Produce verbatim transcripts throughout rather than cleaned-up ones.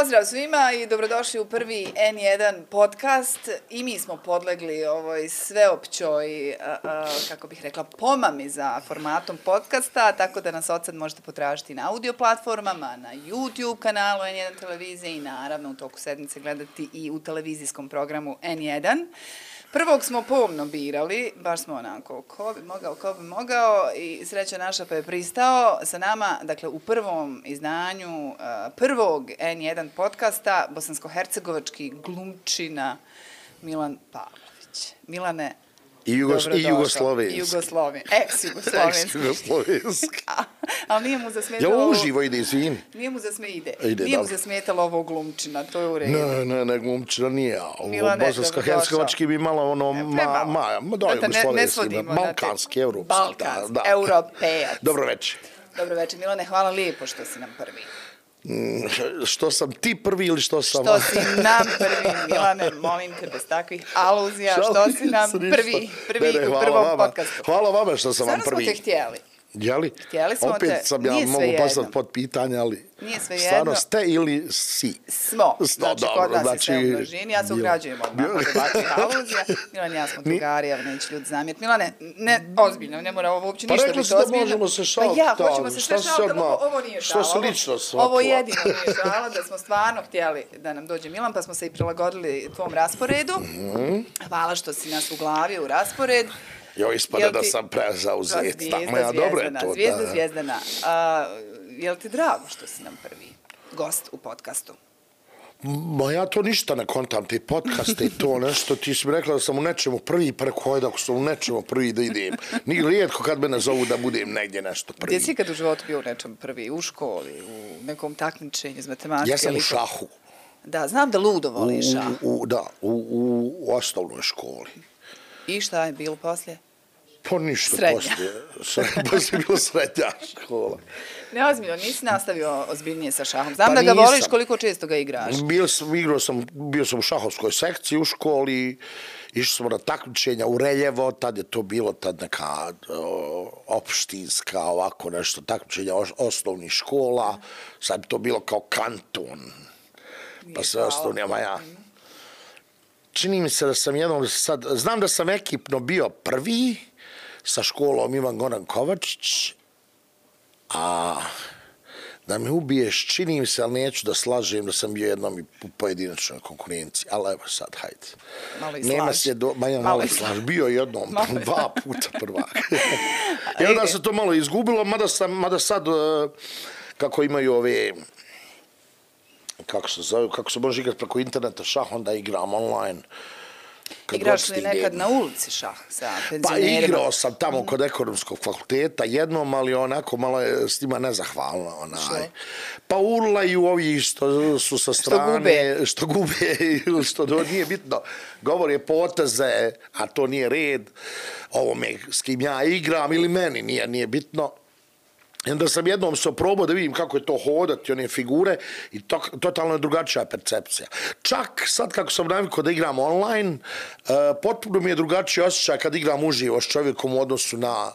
Pozdrav svima i dobrodošli u prvi en jedan podcast. I mi smo podlegli ovoj sveopćoj, a, a, kako bih rekla, pomami za formatom podcasta, tako da nas od sad možete potražiti na audio platformama, na YouTube kanalu en jedan televizije i naravno u toku sedmice gledati i u televizijskom programu en jedan. Prvog smo pomno birali, baš smo onako, ko bi mogao, ko bi mogao, i sreća naša pa je pristao sa nama, dakle, u prvom izdanju uh, prvog en jedan podcasta, bosansko-hercegovački glumčina Milan Pavlović. Milane, I, Jugos i Jugoslovenski. Jugosloven, ex-Jugoslovenski. Ex-Jugoslovenski. Ali nije mu zasmetalo... Ja uživo ide, izvini. Nije mu zasme ide. Ide nije dobro. mu zasmetalo ovo glumčina, to je u redu. Ne, ne, ne, glumčina nije. Ovo bosansko-hercegovački bi malo ono, ma, ma, ma, da, jugoslovenski, balkanski, evropski. Balkanski, da, da. europejac. Dobro večer. Dobro večer, Milane, hvala lijepo što si nam prvi. Mm, što sam ti prvi ili što sam... Što si nam prvi, Milane, molim te, bez takvih aluzija, što si nam prvi, prvi ne, ne, u prvom vama. podcastu. Hvala vama što sam vam prvi. Stvarno smo te htjeli. Jeli? Htjeli smo Opet te, sam ja nije mogu postaviti pod pitanje, ali nije sve stvarno jedno. ste ili si? Smo, Sto, znači dobro, kod nas znači, je sve u množini, ja se ugrađujem odmah od ovakvih aluzija. Milan, ja smo drugari, ali neće ljudi zamijeti. Milane, ne, ozbiljno, ne mora ovo uopće pa ništa biti ozbiljno. Pa rekli su da možemo se šaliti. Pa ja, hoćemo se sve šaliti, ovo, ovo nije šala. Što se lično shvatilo? Ovo jedino nije šala, da smo stvarno htjeli da nam dođe Milan, pa smo se i prilagodili tvom rasporedu. Mm-hmm. Hvala što si nas uglavio u raspored. Jo, ispada da sam prezauzet. Tako ja, dobro je to. Zvijezda, da. Zvijezdana. A, je li ti drago što si nam prvi gost u podcastu? Ma ja to ništa ne kontam, te podcaste i to nešto. Ti si mi rekla da sam u nečemu prvi, pa rekao, hajde ako sam u nečemu prvi da idem. Nije rijetko kad me nazovu da budem negdje nešto prvi. Gdje si kad u životu bio u nečemu prvi? U školi, u nekom takmičenju iz matematike? Ja sam u šahu. Da, znam da ludo voli šah. U, u, da, u, u, u osnovnoj školi. I šta je bilo poslije? Pa ništa Srednja. poslije. Srednja, poslije bilo srednja škola. Ne, ozbiljno, nisi nastavio ozbiljnije sa šahom. Znam Pa da ga nisam. voliš, koliko često ga igraš. Bio sam, igrao sam, bio sam u šahovskoj sekciji u školi, išli smo na takmičenja u Reljevo, tad je to bilo tad neka o, opštinska, ovako nešto, takmičenja os, osnovnih škola, sad bi to bilo kao kanton, pa sve osnovnijama ja. Čini mi se da sam jednom sad, znam da sam ekipno bio prvi sa školom Ivan Goran Kovačić, a da me ubiješ, čini mi se, ali neću da slažem da sam bio jednom i u pojedinačnoj konkurenciji, ali evo sad, hajde. Malo i Nema slaž. se do, ma ja malo i slaž, bio jednom, Malo i dva puta prvak. I onda se to malo izgubilo, mada, sam, mada sad, kako imaju ove, kako se zove, kako se može igrati preko interneta šah, onda igram online. Kad igraš li nekad na ulici šah sa penzionerima? Pa igrao sam tamo kod ekonomskog fakulteta jednom, ali onako malo je s njima nezahvalno. Onaj. Što? Pa urlaju ovi što su sa strane, što gube, što, gube, što to nije bitno. Govore poteze, a to nije red. Ovome s kim ja igram ili meni nije, nije bitno. I onda sam jednom se oprobao da vidim kako je to hodati, one figure, i to, totalno je drugačija percepcija. Čak sad kako sam navikao da igram online, uh, potpuno mi je drugačiji osjećaj kad igram uživo s čovjekom u odnosu na,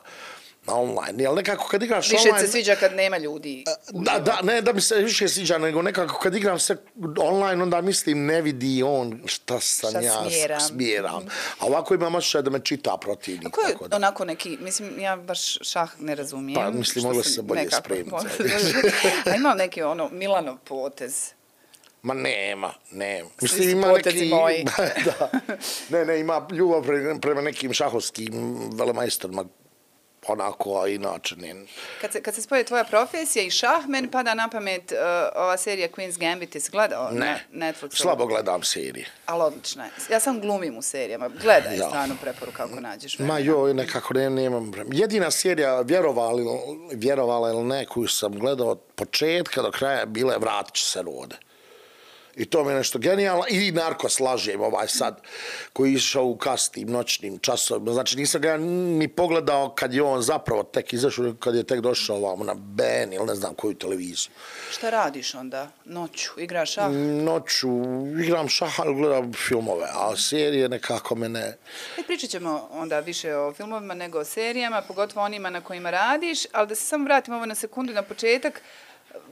na online. Jel nekako kad igraš više online... Više se sviđa kad nema ljudi. Da, da, ne da mi se više sviđa, nego nekako kad igram se online, onda mislim ne vidi on šta sam šta ja smjeram. smjeram. A ovako imam osjećaj da me čita protivnik. A ko je da. onako neki, mislim, ja baš šah ne razumijem. Pa mislim, mogla se bolje spremiti. A ima neki ono Milanov potez. Ma nema, nema. Mislim, svi ima neki... moji. Da. Ne, ne, ima ljubav prema nekim šahovskim velemajstorima, onako, a inače ne. Kad se, kad se spoje tvoja profesija i šah, meni pada na pamet uh, ova serija Queen's Gambit, jesi gledao ne, na Netflixu? Slabo gledam serije. Ali odlična je. Ja sam glumim u serijama. Gledaj ja. Stranu preporuka ako nađeš vremena. Ma joj, nekako ne, nemam vremena. Jedina serija, vjerovali, vjerovala ili ne, koju sam gledao od početka do kraja, bila je Vratit će se rode. I to mi je nešto genijalno. I Narkos lažem ovaj sad, koji je išao u kasnim noćnim časovima. Znači nisam ga ni pogledao kad je on zapravo tek izašao, kad je tek došao ovamo na B N ili ne znam koju televiziju. Šta radiš onda? Noću? Igraš šah? Noću igram šah, ali gledam filmove, a serije nekako mene... E, pričat ćemo onda više o filmovima nego o serijama, pogotovo onima na kojima radiš, ali da se samo vratimo ovo na sekundu na početak.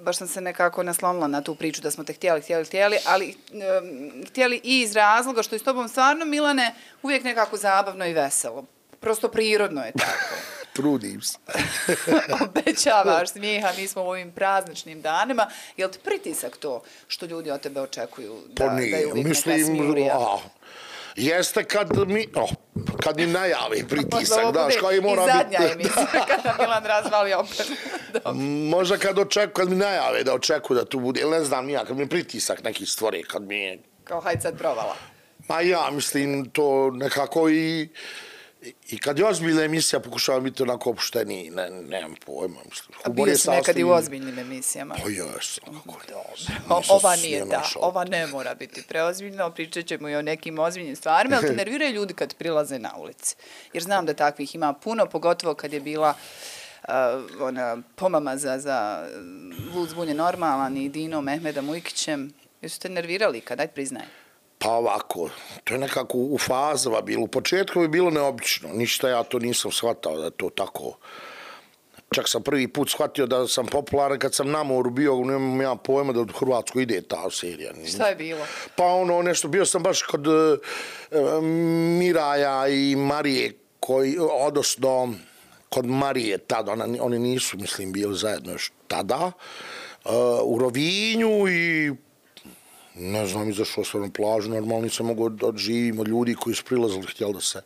baš sam se nekako naslonila na tu priču da smo te htjeli, htjeli, htjeli, ali um, htjeli i iz razloga što je s tobom stvarno, Milane, uvijek nekako zabavno i veselo. Prosto prirodno je tako. Trudim se. Obećavaš smijeha, mi smo u ovim prazničnim danima. Je li ti pritisak to što ljudi od tebe očekuju da, pa nije, da je uvijek mislim, neka smijurija? A, jeste kad mi, oh, kad mi najavi pritisak, daš, kao i mora biti. I zadnja biti, emisija, kada Milan razvali opet. Možda kad, očeku, kad mi najave da očekuju da tu bude, ili ne znam nija, kad mi pritisak neki stvori, kad mi je... Kao hajde sad provala. Ma ja mislim to nekako i... I kad je ozbiljna emisija, pokušavam biti onako opušteniji, ne, nemam pojma. Mislim. A bio si nekad i u ozbiljnim emisijama? Pa jesam. Dobro. Ova nije ta, ova ne mora biti preozbiljna, pričat ćemo i o nekim ozbiljnim stvarima, ali te nerviraju ljudi kad prilaze na ulici. Jer znam da takvih ima puno, pogotovo kad je bila uh, ona pomama za, za Lud zbunje normalan i Dino Mehmeda Mujkićem. Jesu te nervirali kad, daj priznaj? Pa ovako, to je nekako u fazama bilo. U početku je bilo neobično. Ništa ja to nisam shvatao da je to tako. Čak sam prvi put shvatio da sam popularan kad sam na moru bio, nemam ja pojma da u Hrvatsku ide ta serija. Šta je bilo? Pa ono nešto, bio sam baš kod uh, Miraja i Marije, koji, odnosno kod Marije tada, ona, oni nisu, mislim, bili zajedno još tada, uh, u Rovinju i ne znam, izašao sam na plažu, normalno nisam mogao da živim od ljudi koji su prilazili, htjeli da se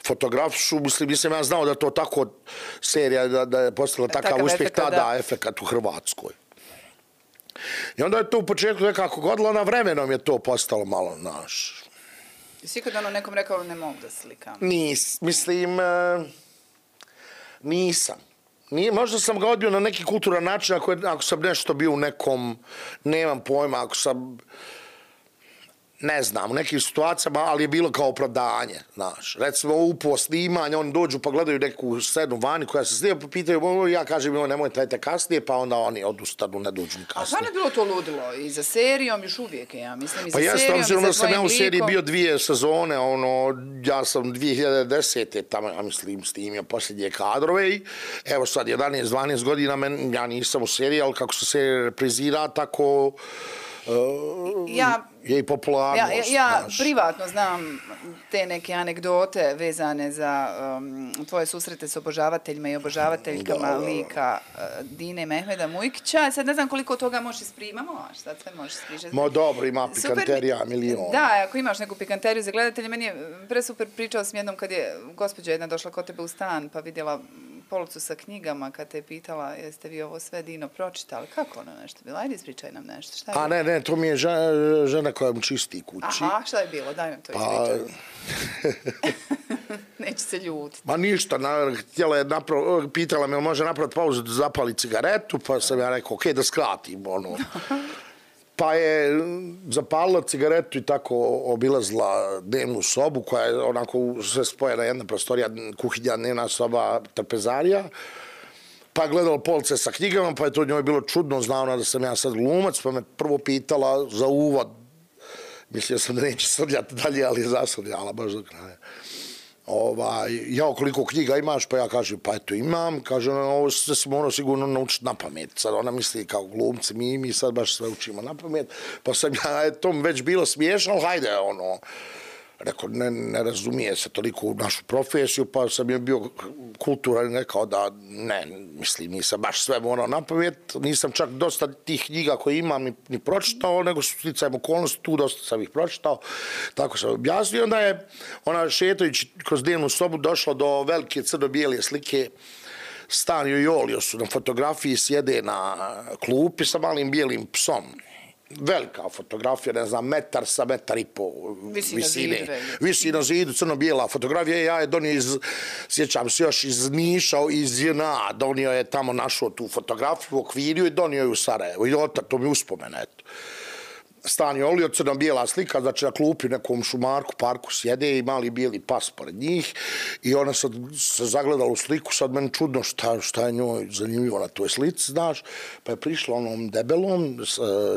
fotografišu. Mislim, mislim, ja znao da to tako serija, da, da je postala takav, takav uspjeh tada, da. Efekat u Hrvatskoj. I onda je to u početku nekako godilo, na vremenom je to postalo malo naš. Jesi kad ono nekom rekao ne mogu da slikam? Nis, mislim, nisam. Nije, možda sam ga odbio na neki kulturan način ako, je, ako sam nešto bio u nekom, nemam pojma, ako sam, ne znam, u nekim situacijama, ali je bilo kao opravdanje, znaš. Recimo, upo snimanje, oni dođu pa gledaju neku scenu vani koja se snima, pa pitaju, ja kažem, jo, nemoj trajte kasnije, pa onda oni odustanu, ne dođu ni kasnije. A šta ne bilo to ludilo? I za serijom još uvijek, ja mislim, i za pa serijom, jeste, i za tvojim likom. Pa sam ja u seriji bio dvije sezone, ono, ja sam dvije hiljade desete tamo, ja mislim, snimio posljednje kadrove i evo sad, jedanaest dvanaest godina, men, ja nisam u seriji, ali kako se serija reprizira, tako... Uh, ja, je i popularnost. Ja, ja privatno znam te neke anegdote vezane za um, tvoje susrete s obožavateljima i obožavateljkama da, lika uh, Dine Mehmeda Mujkića. Sad ne znam koliko toga možeš isprimamo, a šta sve možeš ispričati. Mo dobro, ima pikanterija, super, milion. Da, ako imaš neku pikanteriju za gledatelje, meni je presuper, pričao sam jednom kad je gospođa jedna došla kod tebe u stan pa vidjela policu sa knjigama kad te je pitala jeste vi ovo sve Dino pročitali. Kako ono nešto bilo? Ajde ispričaj nam nešto. Šta je a ne, ne, to mi je žena, žena koja mu čisti kući. Aha, šta je bilo? Daj nam to ispričaj. Pa... Neće se ljutiti. Ma ništa, na, htjela je naprav, pitala me može napraviti pauzu da zapali cigaretu, pa sam ja rekao, okej, okay, da skratim, ono. Pa je zapalila cigaretu i tako obilazila dnevnu sobu, koja je onako sve spojena jedna prostorija, kuhinja, dnevna soba, trpezarija. Pa je gledala police sa knjigama, pa je to njoj bilo čudno, znao ona da sam ja sad glumac, pa me prvo pitala za uvod. Mislio sam da neće srljati dalje, ali je zasrljala baš do kraja. Ovaj, ja koliko knjiga imaš, pa ja kažem, pa eto imam, kaže, ovo sve smo ono sigurno naučiti na pamet. Sad ona misli kao glumci, mi, mi sad baš sve učimo na pamet, pa sam ja, je to već bilo smiješno, hajde, ono, rekao, ne, ne razumije se toliko u našu profesiju, pa sam je bio kulturan i rekao da ne, mislim, nisam baš sve morao na pamet, nisam čak dosta tih knjiga koje imam ni, ni pročitao, nego su sticajem okolnosti, tu dosta sam ih pročitao, tako sam objasnio. Onda je ona šetajući kroz dnevnu sobu došla do velike crno-bijele slike Stanio i Olio su na fotografiji sjede na klupi sa malim bijelim psom. Velika fotografija, ne znam, metar sa metar i po visine. Visi na zidu, crno-bijela fotografija. Ja je donio iz, sjećam se još iz Niša, iz J N A, donio je tamo našao tu fotografiju u okvirju i donio je u Sarajevo. I otak, to mi uspomena, eto. Stanio Olio, crno-bijela slika, znači na klupi u nekom šumarku, parku sjede i mali bijeli pas pored njih i ona sad se zagledala u sliku, sad meni čudno šta, šta je njoj zanimljivo na toj slici, znaš, pa je prišla onom debelom,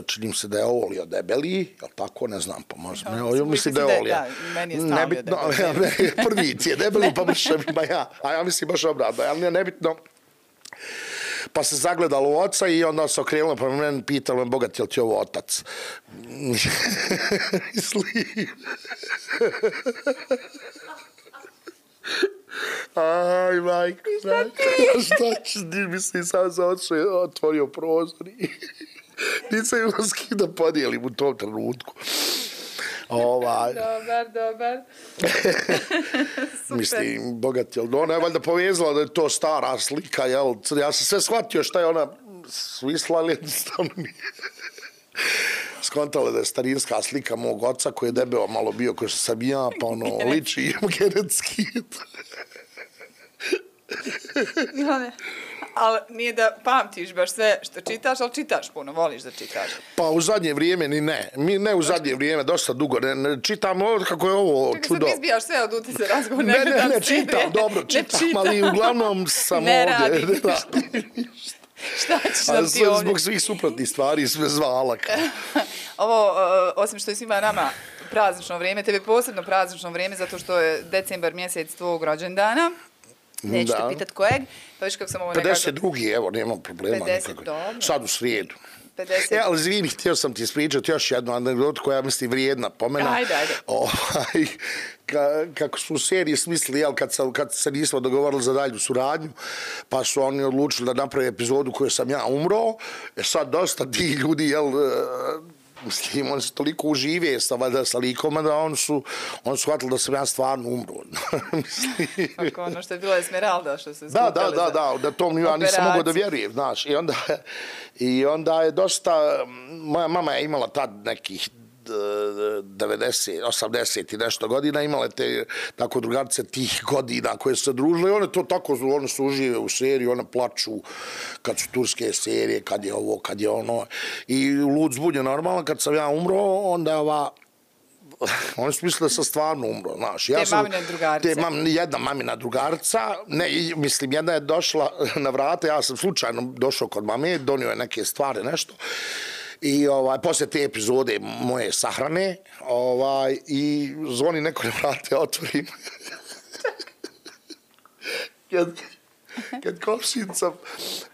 činim se da je Olio debeli, jel tako, ne znam, pa možda, ne, mislim da je Olio. Da, meni je stavio nebitno, debeli. Prvi ti je debeli, pa mišljam ima ja, a ja mislim baš obratno, ali nije nebitno. pa se zagledalo u oca i onda se okrenulo pa meni pitalo, bogat, je li ti ovo otac? Mislim... Aj, majko, šta ti? Šta ću, mislim, sam za ocu je otvorio prozor i nisam imao s kim da podijelim u tom trenutku. Ovaj. Dobar, dobar. Mislim, bogat, jel, ona je valjda povezala da je to stara slika, jel, ja sam sve shvatio šta je ona svisla, ali jednostavno nije. Skontala da je starinska slika mog oca koji je debeo malo bio ko što sam ja, pa ono, liči im genetski. Milane, ali nije da pamtiš baš sve što čitaš, ali čitaš puno, voliš da čitaš. Pa u zadnje vrijeme ni ne. Mi ne u zadnje vrijeme, dosta dugo. Ne, ne čitam ovo kako je ovo Čekaj, čudo. Čekaj, sad izbijaš sve od utice razgovor. Ne, ne, ne, čitam, dobro, čitam, ali uglavnom sam ne ovdje. Radi. Ne radim. Šta ćeš nam ti ovdje? Zbog svih suprotnih stvari sve zvala. Ovo, uh, osim što je svima nama praznično vrijeme, tebe posebno praznično vrijeme, zato što je decembar mjesec tvojeg rođendana. Neću te pitat kojeg, pa viš kako sam ovo nekako... pedeset drugi evo, nemam problema pedeset, nikako. dobro. Sad u srijedu. pedeset E, ali izvini, htio sam ti ispričati još jednu anegdotu koja mislim vrijedna pomena. Ajde, ajde. Ovaj, ka, kako su u seriji smislili, jel, kad, sam, kad se nismo dogovorili za dalju suradnju, pa su oni odlučili da naprave epizodu koju sam ja umro. E sad dosta ti ljudi, jel, mislim, oni su toliko užive sa, valjda, sa likoma da oni su, oni su shvatili da sam ja stvarno umro. Ako ono što je bilo Esmeralda, što se Da, da, da, da, da to ja nisam mogao da vjerujem, znaš. I onda, i onda je dosta, moja mama je imala tad nekih devedeset, osamdeset i nešto godina, imale te tako drugarice tih godina koje su se družile i one to tako, one su užive u seriji, one plaču kad su turske serije, kad je ovo, kad je ono. I lud zbunje normalno, kad sam ja umro, onda ova oni su mislili da sam stvarno umro, znaš. Ja te sam, mamine drugarice. Te mam, jedna mamina drugarica, ne, mislim, jedna je došla na vrata, ja sam slučajno došao kod mame, donio je neke stvari, nešto. I ovaj, poslije te epizode moje sahrane, ovaj, i zvoni neko na vrate, otvorim. kad, kad komšinica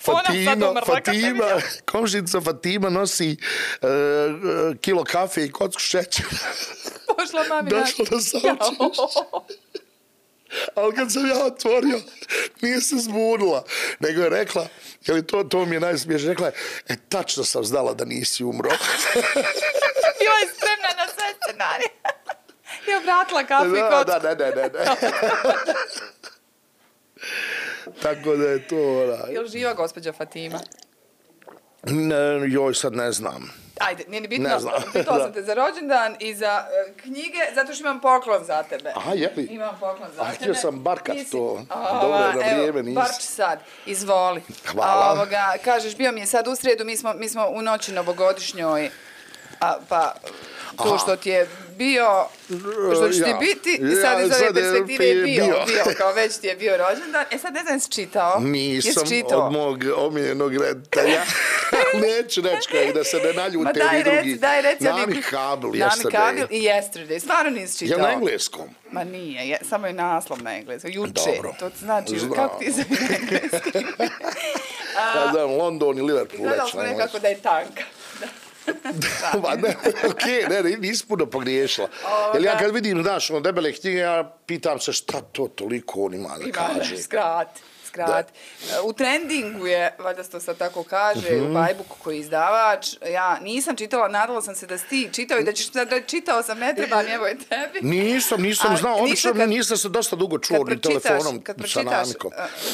Fatima, Fatima, komšinica Fatima nosi uh, kilo kafe i kocku šećera. Pošla mami došla da saučiš. Ali kad sam ja otvorio, nije se zbunila, nego je rekla, jer to, to mi je najsmiješno, rekla je, e, tačno sam znala da nisi umro. Bila je spremna na sve scenarije. I obratila kafu i kocku. Da, da, ne, ne, ne. Tako da je to, onaj. Je li živa gospođa Fatima? Ne, joj, sad ne znam. Ajde, nije ni bitno. Ne znam. Pitala sam te za rođendan i za uh, knjige, zato što imam poklon za tebe. Aha, jeli? Imam poklon za A, tebe. htio sam barkat Nisi... to. Ova, Dobro je na evo, vrijeme, nisi. Barč sad, izvoli. Hvala. A, ovoga, kažeš, bio mi je sad u srijedu, mi smo, mi smo u noći novogodišnjoj, a, pa to što ti je bio, što će ti Ja. biti, Ja, sad iz ove sad je perspektive je bio, bio. bio, kao već ti je bio rođendan. E sad ne znam, jesi čitao? Nisam Jesi čitao? od mog omiljenog reditelja. Neću reći kaj, da se ne naljute Ma daj ni drugi. reci, daj reci. Nami Kabil, Nami Kabil yesterday. i Yesterday. Stvarno nisi čitao? Je na engleskom? Ma nije, je, samo je naslov na engleskom. Juče. Dobro. To znači, Znam. kako ti zove na engleskom? Ja znam, London i Liverpool. Gledali već smo na nekako da je tanka. Ma ne, okej, okay, ne, nisi puno pogriješila. Jer ja kad vidim, znaš, ono debele knjige, ja pitam se šta to toliko on ima da Ima, kaže. skrat. skrat. U trendingu je, valjda se to sad tako kaže, uh-huh. u Bajbuku koji je izdavač. Ja nisam čitala, nadala sam se da si ti čitao i da ćeš da čitao sam, ne treba mi, evo je tebi. Nisam, nisam znao, obično kad, nisam se dosta dugo čuo ni telefonom kad sa Namikom.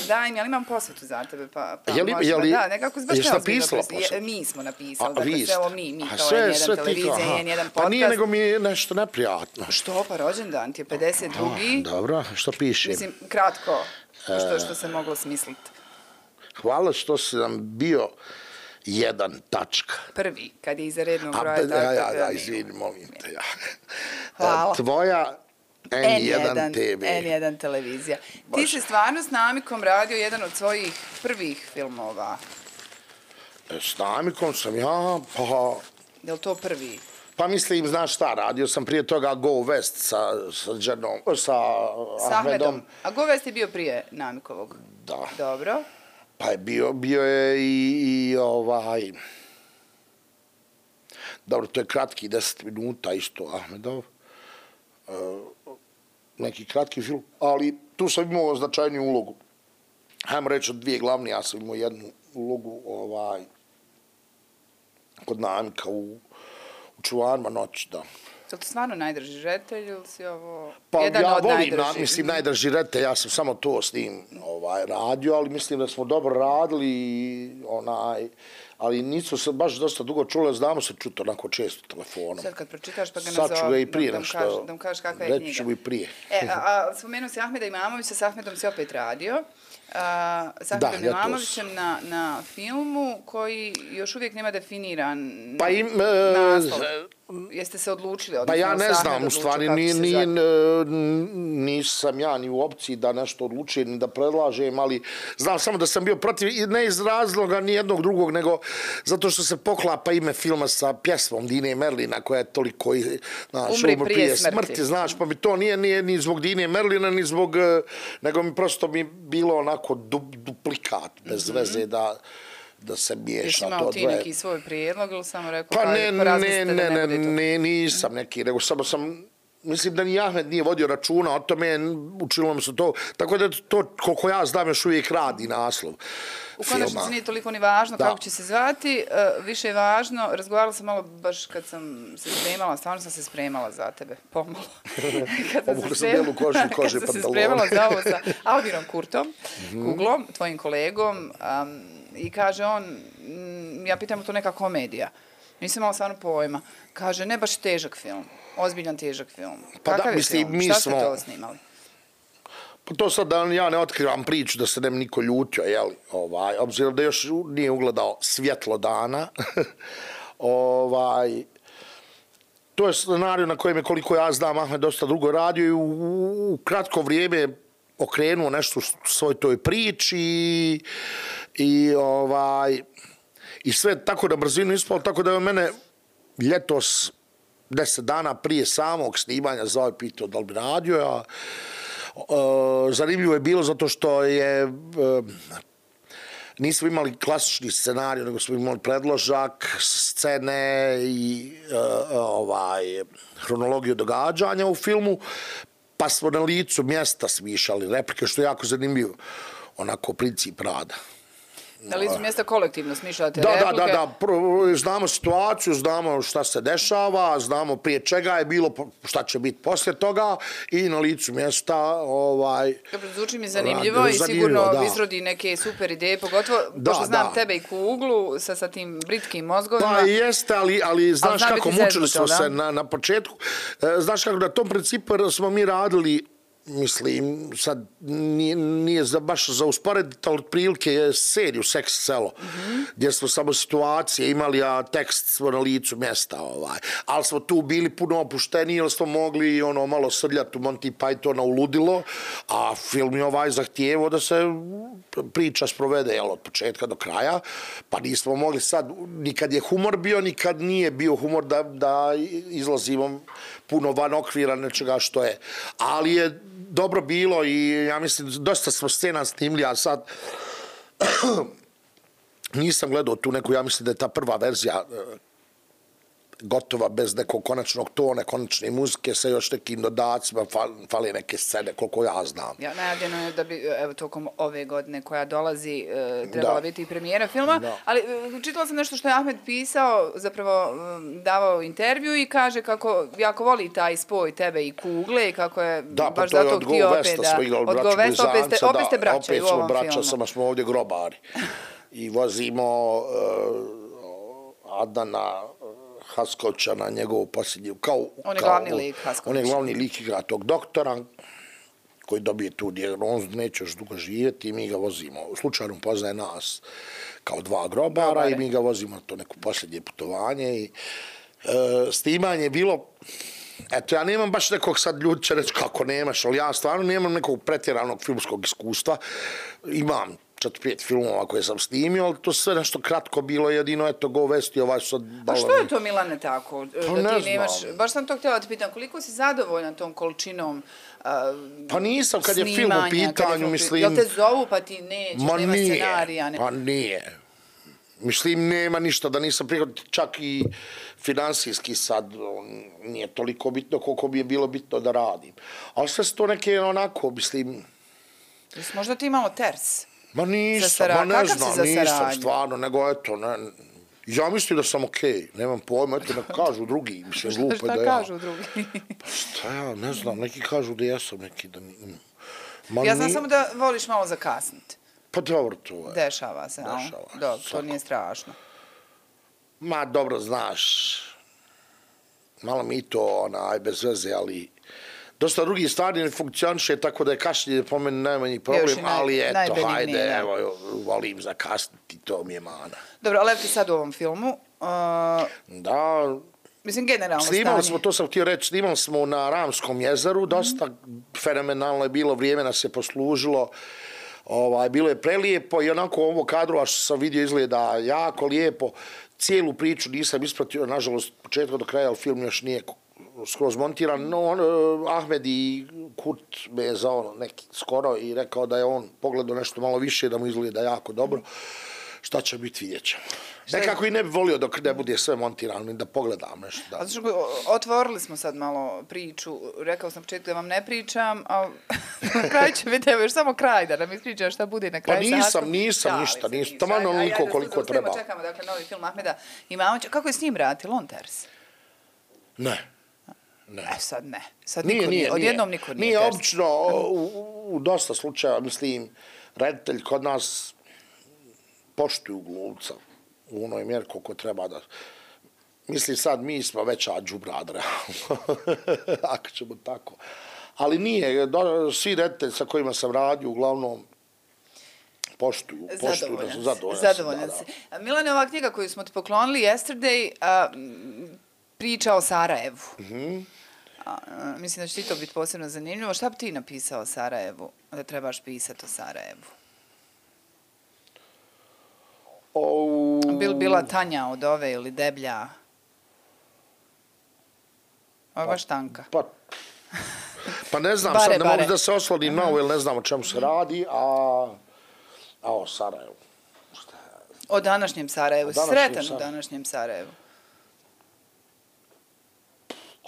Daj mi, ali imam posvetu za tebe, pa, pa jeli, možemo, jeli, da, nekako se baš jesi napisala je, mi smo napisali, A, dakle, vi sve ovo mi, mi A, kao sve, je jedan sve televizija, tika, je jedan podcast. Pa nije, nego mi je nešto neprijatno. Što, pa rođendan ti je pedeset drugi. Dobro, što piše? Mislim, kratko, što, što se moglo smisliti. Hvala što si nam bio jedan tačka. Prvi, kad je iza rednog A, broja. ja, tako, ja, ja, mi- izvini, molim te. Ja. Hvala. Tvoja N jedan te ve. N jedan televizija. Ti si stvarno s Namikom radio jedan od svojih prvih filmova. S Namikom sam ja, pa... Je li to prvi? Pa mislim, znaš šta, radio sam prije toga Go West sa, sa, Džernom, sa S Ahmedom. A Go West je bio prije Namikovog? Da. Dobro. Pa je bio, bio je i, i ovaj... Dobro, to je kratki deset minuta isto, Ahmedov. E, neki kratki film, ali tu sam imao značajniju ulogu. Hajmo reći od dvije glavne, ja sam imao jednu ulogu ovaj, kod Namika u, u Čuvarima noći, da. Je li to stvarno najdrži reditelj ili si ovo pa jedan ja od volim, najdržih? Na, mislim, najdrži reditelj, ja sam samo to s njim ovaj, radio, ali mislim da smo dobro radili, onaj, ali nisu se baš dosta dugo čule, znamo se čuti onako često telefonom. Sad kad pročitaš pa ga Sad ću ga i prije da, nešto, da, da mu kažeš kakva je knjiga. reći ću i prije. E, a, a spomenuo si Ahmeda Imamovića, s Ahmedom si opet radio. A, s Ahmedom da, Imamovićem na, na filmu koji još uvijek nema definiran pa im, naslov. Jeste se odlučili? Pa ja ne znam, u stvari ni, ni, nisam ja ni u opciji da nešto odlučujem, ni da predlažem, ali znam samo da sam bio protiv, ne iz razloga ni jednog drugog, nego zato što se poklapa ime filma sa pjesmom Dine Merlina, koja je toliko, znaš, umri prije, prije smrti. smrti. Znaš, pa mi to nije, nije ni zbog Dine Merlina, ni zbog, nego mi prosto mi bilo onako du, duplikat, bez mm-hmm. veze da... da se miješa. Jesi imao ti neki svoj prijedlog ili samo rekao pa ne, pa ne, ne, ne, ne, nisam neki, nego samo sam, mislim da ni Ahmed nije vodio računa o tome, učilo mi se to, tako da to, koliko ja znam, još uvijek radi naslov U konačnici nije toliko ni važno da. Kako će se zvati, uh, više je važno, razgovarala sam malo baš kad sam se spremala, stvarno sam se spremala za tebe, pomalo. kad sam, se, spremala, koži, koži kad sam se spremala za ovo sa Albirom Kurtom, mm-hmm. Kuglom, tvojim kolegom, um, i kaže on, ja pitam to neka komedija. Nisam imala stvarno pojma. Kaže, ne baš težak film. Ozbiljan težak film. Pa Kakav da, mislim, film? mi Šta smo... ste to snimali? Pa to sad da ja ne otkrivam priču da se ne bi niko ljutio, jeli? Ovaj, obzirom da još nije ugledao svjetlo dana. ovaj, to je scenarij na kojem je, koliko ja znam, Ahmed dosta dugo radio i u, u, u kratko vrijeme okrenuo nešto u svoj toj priči i, i ovaj i sve tako da brzinu ispalo, tako da je mene ljetos deset dana prije samog snimanja zvao i pitao da li bi radio, a e, zanimljivo je bilo zato što je e, nismo imali klasični scenarij, nego smo imali predložak, scene i e, ovaj hronologiju događanja u filmu, pa smo na licu mjesta smišali replike, što je jako zanimljivo, onako princip rada. Na licu mjesta kolektivno smišljate da, replike? Da, da, da, znamo situaciju, znamo šta se dešava, znamo prije čega je bilo, šta će biti poslije toga i na licu mjesta ovaj... Dobro, zvuči mi zanimljivo rad, i sigurno da. Izrodi neke super ideje, pogotovo, da, pošto znam da. Tebe i Kuglu sa, sa tim britkim mozgovima. Pa jeste, ali, ali znaš ali kako mučili smo se na, na početku. Znaš kako na tom principu smo mi radili, mislim, sad nije, nije za, baš za usporediti, ali otprilike seriju Seks selo, mm-hmm. gdje smo samo situacije imali, a tekst smo na licu mjesta. Ovaj. Ali smo tu bili puno opušteni, jer smo mogli ono malo srljati u Monty Pythona u ludilo, a film je ovaj zahtijevo da se priča sprovede jel, od početka do kraja, pa nismo mogli sad, nikad je humor bio, nikad nije bio humor da, da izlazimo puno van okvira nečega što je. Ali je dobro bilo i ja mislim, dosta smo scena snimili, a sad nisam gledao tu neku, ja mislim da je ta prva verzija gotova bez nekog konačnog tona, konačne muzike, sa još nekim dodacima, fale neke scene, koliko ja znam. Ja, najavljeno je da bi, evo, tokom ove godine koja dolazi, e, trebala da. biti i premijera filma, da. ali e, čitala sam nešto što je Ahmed pisao, zapravo e, davao intervju i kaže kako jako voli taj spoj tebe i Kugle i kako je da, baš pa zato htio opet da... Od Govesta opet ste, opet ste braća opet u ovom braća, filmu. Samo smo ovdje grobari. I vozimo uh, Adana Haskovića na njegovu posljednju, kao... On je glavni lik Haskovića. On je glavni lik igra tog doktora koji dobije tu dijagnozu, neće još dugo živjeti i mi ga vozimo. Slučajno poznaje nas kao dva grobara Grobare. I mi ga vozimo na to neko posljednje putovanje i e, snimanje je bilo... Eto, ja nemam baš nekog, sad ljudi će reći kako nemaš, ali ja stvarno nemam nekog pretjeranog filmskog iskustva. Imam četiri pet filmova koje sam snimio, ali to sve nešto kratko bilo, jedino, eto, Go West i ovaj sad... A što je to, Milane, tako? Pa da ti nemaš, baš sam to htjela da ti pitam, koliko si zadovoljan tom količinom Pa nisam, kad je film u pitanju, mislim... Jel te zovu pa ti nećeš, nema scenarija? Ma nije. Mislim, nema ništa da nisam prihvatio, čak i finansijski sad nije toliko bitno koliko bi je bilo bitno da radim. Ali sve su to neke onako, mislim... Jesi možda ti imao ters? Ma nisam, ma ne znam, nisam stvarno, nego eto, ne... Ja mislim da sam okej, nemam pojma, eto ne kažu drugi, mislim, glupo je da ja... Šta kažu drugi? Pa šta ja, ne znam, neki kažu da jesam, neki da... Ja znam samo da voliš malo zakasniti. Pa dobro, to je. Dešava se, a? Dobro, to nije strašno. Ma, dobro, znaš, malo mi to, onaj, bez veze, ali dosta drugih stvari ne funkcioniše, tako da je kašljenje po meni najmanji problem, ali eto, hajde, evo, volim zakasniti, to mi je mana. Dobro, ali ti sad u ovom filmu... Da... Mislim, generalno stanje. Snimali smo, to sam htio reći, snimali smo na Ramskom jezeru, dosta fenomenalno je bilo, vrijeme nas je poslužilo, bilo je prelijepo i onako ovo kadrova što sam vidio izgleda jako lijepo. Cijelu priču nisam ispratio, nažalost, početka do kraja, ali film još nije skroz montiran. No, on, Ahmed i Kurt me je zao neki skoro i rekao da je on pogledao nešto malo više, da mu izgleda jako dobro. Šta će biti, vidjet ćemo. Nekako i ne bi volio dok ne bude sve montirano, da pogledam nešto. Da. Otvorili smo sad malo priču, rekao sam početku da vam ne pričam, ali na kraju će biti, evo još samo kraj da nam ispričaš šta bude na kraju. Pa nisam, nisam ništa, nisam, tamo onoliko koliko treba. Čekamo, dakle, novi film Ahmeda Imamovića. Kako je s njim raditi, Lonters? Ne. Ne. E, sad ne. Sad niko nije, odjednom niko nije. Nije, obično, u dosta slučaja, mislim, reditelj kod nas poštuju glumca u onoj mjeri koliko treba da... Mislim sad, mi smo veća džubrad, realno, ako ćemo tako. Ali nije, svi reditelji sa kojima sam radio, uglavnom, poštuju. Zadovoljan si. Zadovoljan si. Milane, ova knjiga koju smo ti poklonili, Yesterday, priča o Sarajevu. Mislim da će ti to biti posebno zanimljivo. Šta bi ti napisao o Sarajevu, da trebaš pisati o Sarajevu? Bil bila Tanja od ove ili Deblja? Ovo je baš tanka. Pa ne znam, sad ne mogu da se oslonim na ovo, jer ne znam o čemu se radi, a o Sarajevu. O današnjem Sarajevu, sretan u današnjem Sarajevu.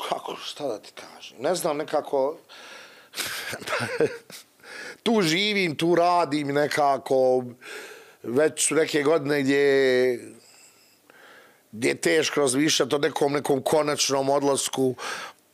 Kako, šta da ti kažem? Ne znam, nekako... Tu živim, tu radim, nekako... Već su neke godine gdje je teško razmišljati o nekom nekom konačnom odlasku.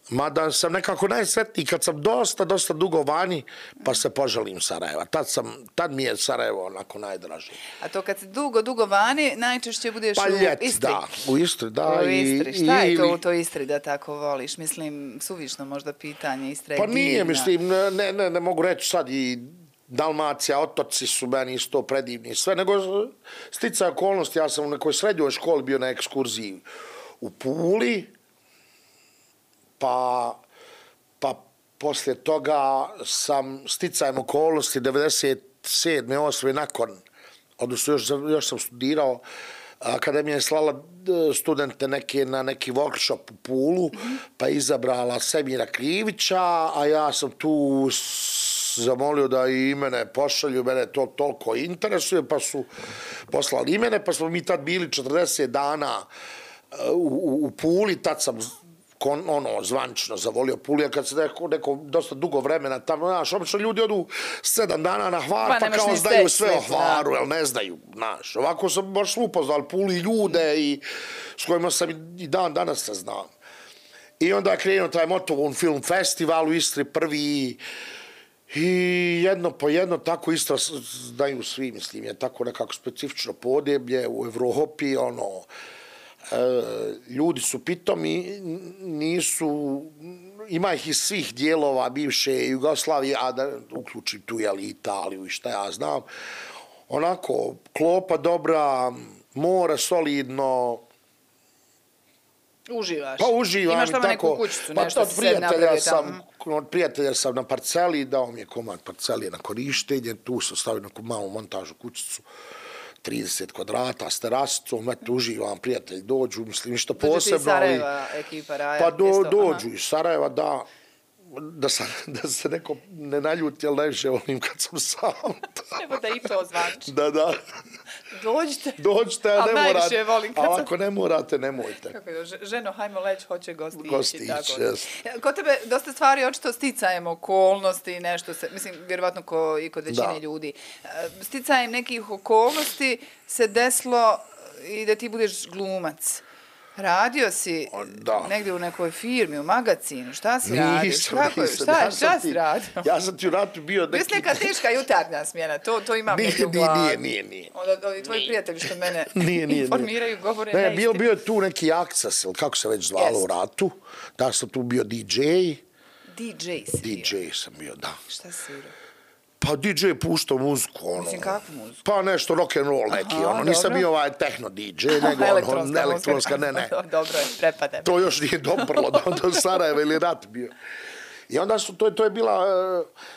Mada sam nekako najsretniji kad sam dosta, dosta dugo vani, pa se poželim Sarajeva. Tad, sam, tad mi je Sarajevo onako najdraže. A to kad si dugo, dugo vani, najčešće budeš pa u ljet, Istri? Da, u Istri, da. U Istri. Šta je to u toj Istri da tako voliš? Mislim, suvišno možda pitanje, Istra je pa divna. Pa nije, mislim, ne, ne, ne mogu reći sad i Dalmacija, otoci su meni isto predivni i sve, nego sticaj okolnosti, ja sam u nekoj srednjoj školi bio na ekskurziji u Puli, pa, pa poslije toga sam sticajem okolnosti devedeset sedme osme nakon, odnosno još, još sam studirao, Akademija je slala studente neke na neki workshop u Pulu, pa izabrala Semira Krivića, a ja sam tu zamolio da i mene pošalju, mene to toliko interesuje, pa su poslali i mene, pa smo mi tad bili četrdeset dana u, u Puli, tad sam kon, ono, zvančno zavolio Pulu, a kad se neko, neko dosta dugo vremena tamo, znaš, obično ljudi odu sedam dana na Hvar, pa, pa kao znaju sve o Hvaru, jel ne znaju, znaš, ovako sam baš upoznal Pulu i ljude i s kojima sam i dan danas se znam. I onda je krenuo taj Motovun film festival u Istri prvi. I jedno po jedno, tako Istra znaju svi, mislim, je tako nekako specifično podneblje u Evropi, ono, e, ljudi su pitomi, nisu, ima ih iz svih dijelova bivše Jugoslavije, a da uključim tu, jeli, Italiju i šta ja znam, onako, klopa dobra, more solidno. Uživaš? Pa uživam. Imaš tamo neku kućicu, nešto pa, si se napravio tamo? Od prijatelja sam na parceli, dao mi je komad parcelije na korištenje, tu sam stavio neku malu montažu kućicu, trideset kvadrata s terasicom, eto, uživam, prijatelji dođu, mislim, ništa posebno. Dođu ti iz Sarajeva, ekipa Raja? Pa do, dođu iz Sarajeva, da, da, sam, da se neko ne naljuti, ali najviše volim kad sam sam. Evo da i to zvanči. Da, da. Dođite. Dođite, a ne morate. Volim kad a sam... ako ne morate, nemojte. Kako je, ženo, hajmo leć, hoće gostići. Gostići, jes. Kod tebe dosta stvari očito sticajem okolnosti, nešto se, mislim, vjerovatno ko i kod većine da. ljudi. Sticajem nekih okolnosti se desilo i da ti budeš glumac. Radio si da. negdje u nekoj firmi, u magazinu, šta si radio? Nisam, Kako, nisam. šta, Ja šta ti, si radio? Ja sam ti u ratu bio neki... Mislim neka teška jutarnja smjena, to, to imam nije, negdje u glavi. Nije, nije, nije. Onda ovi tvoji prijatelji što mene nije, nije, informiraju, govore ne, neistinu. bio, bio je tu neki akcas, ili kako se već zvalo Yes. u ratu. Da sam tu bio D J. D J si bio? D J sam bio, da. Šta si svirao? Pa D J puštao muziku, ono. Mislim, kakvu muziku? Pa nešto rock and roll neki, Aha, ono. Nisam dobro. bio ovaj techno D J, nego elektronska, ono, elektronska, ne, ne. Dobro je, prepadem. To još nije doprlo do, do Sarajeva ili rat bio. I onda su, to, to je bila,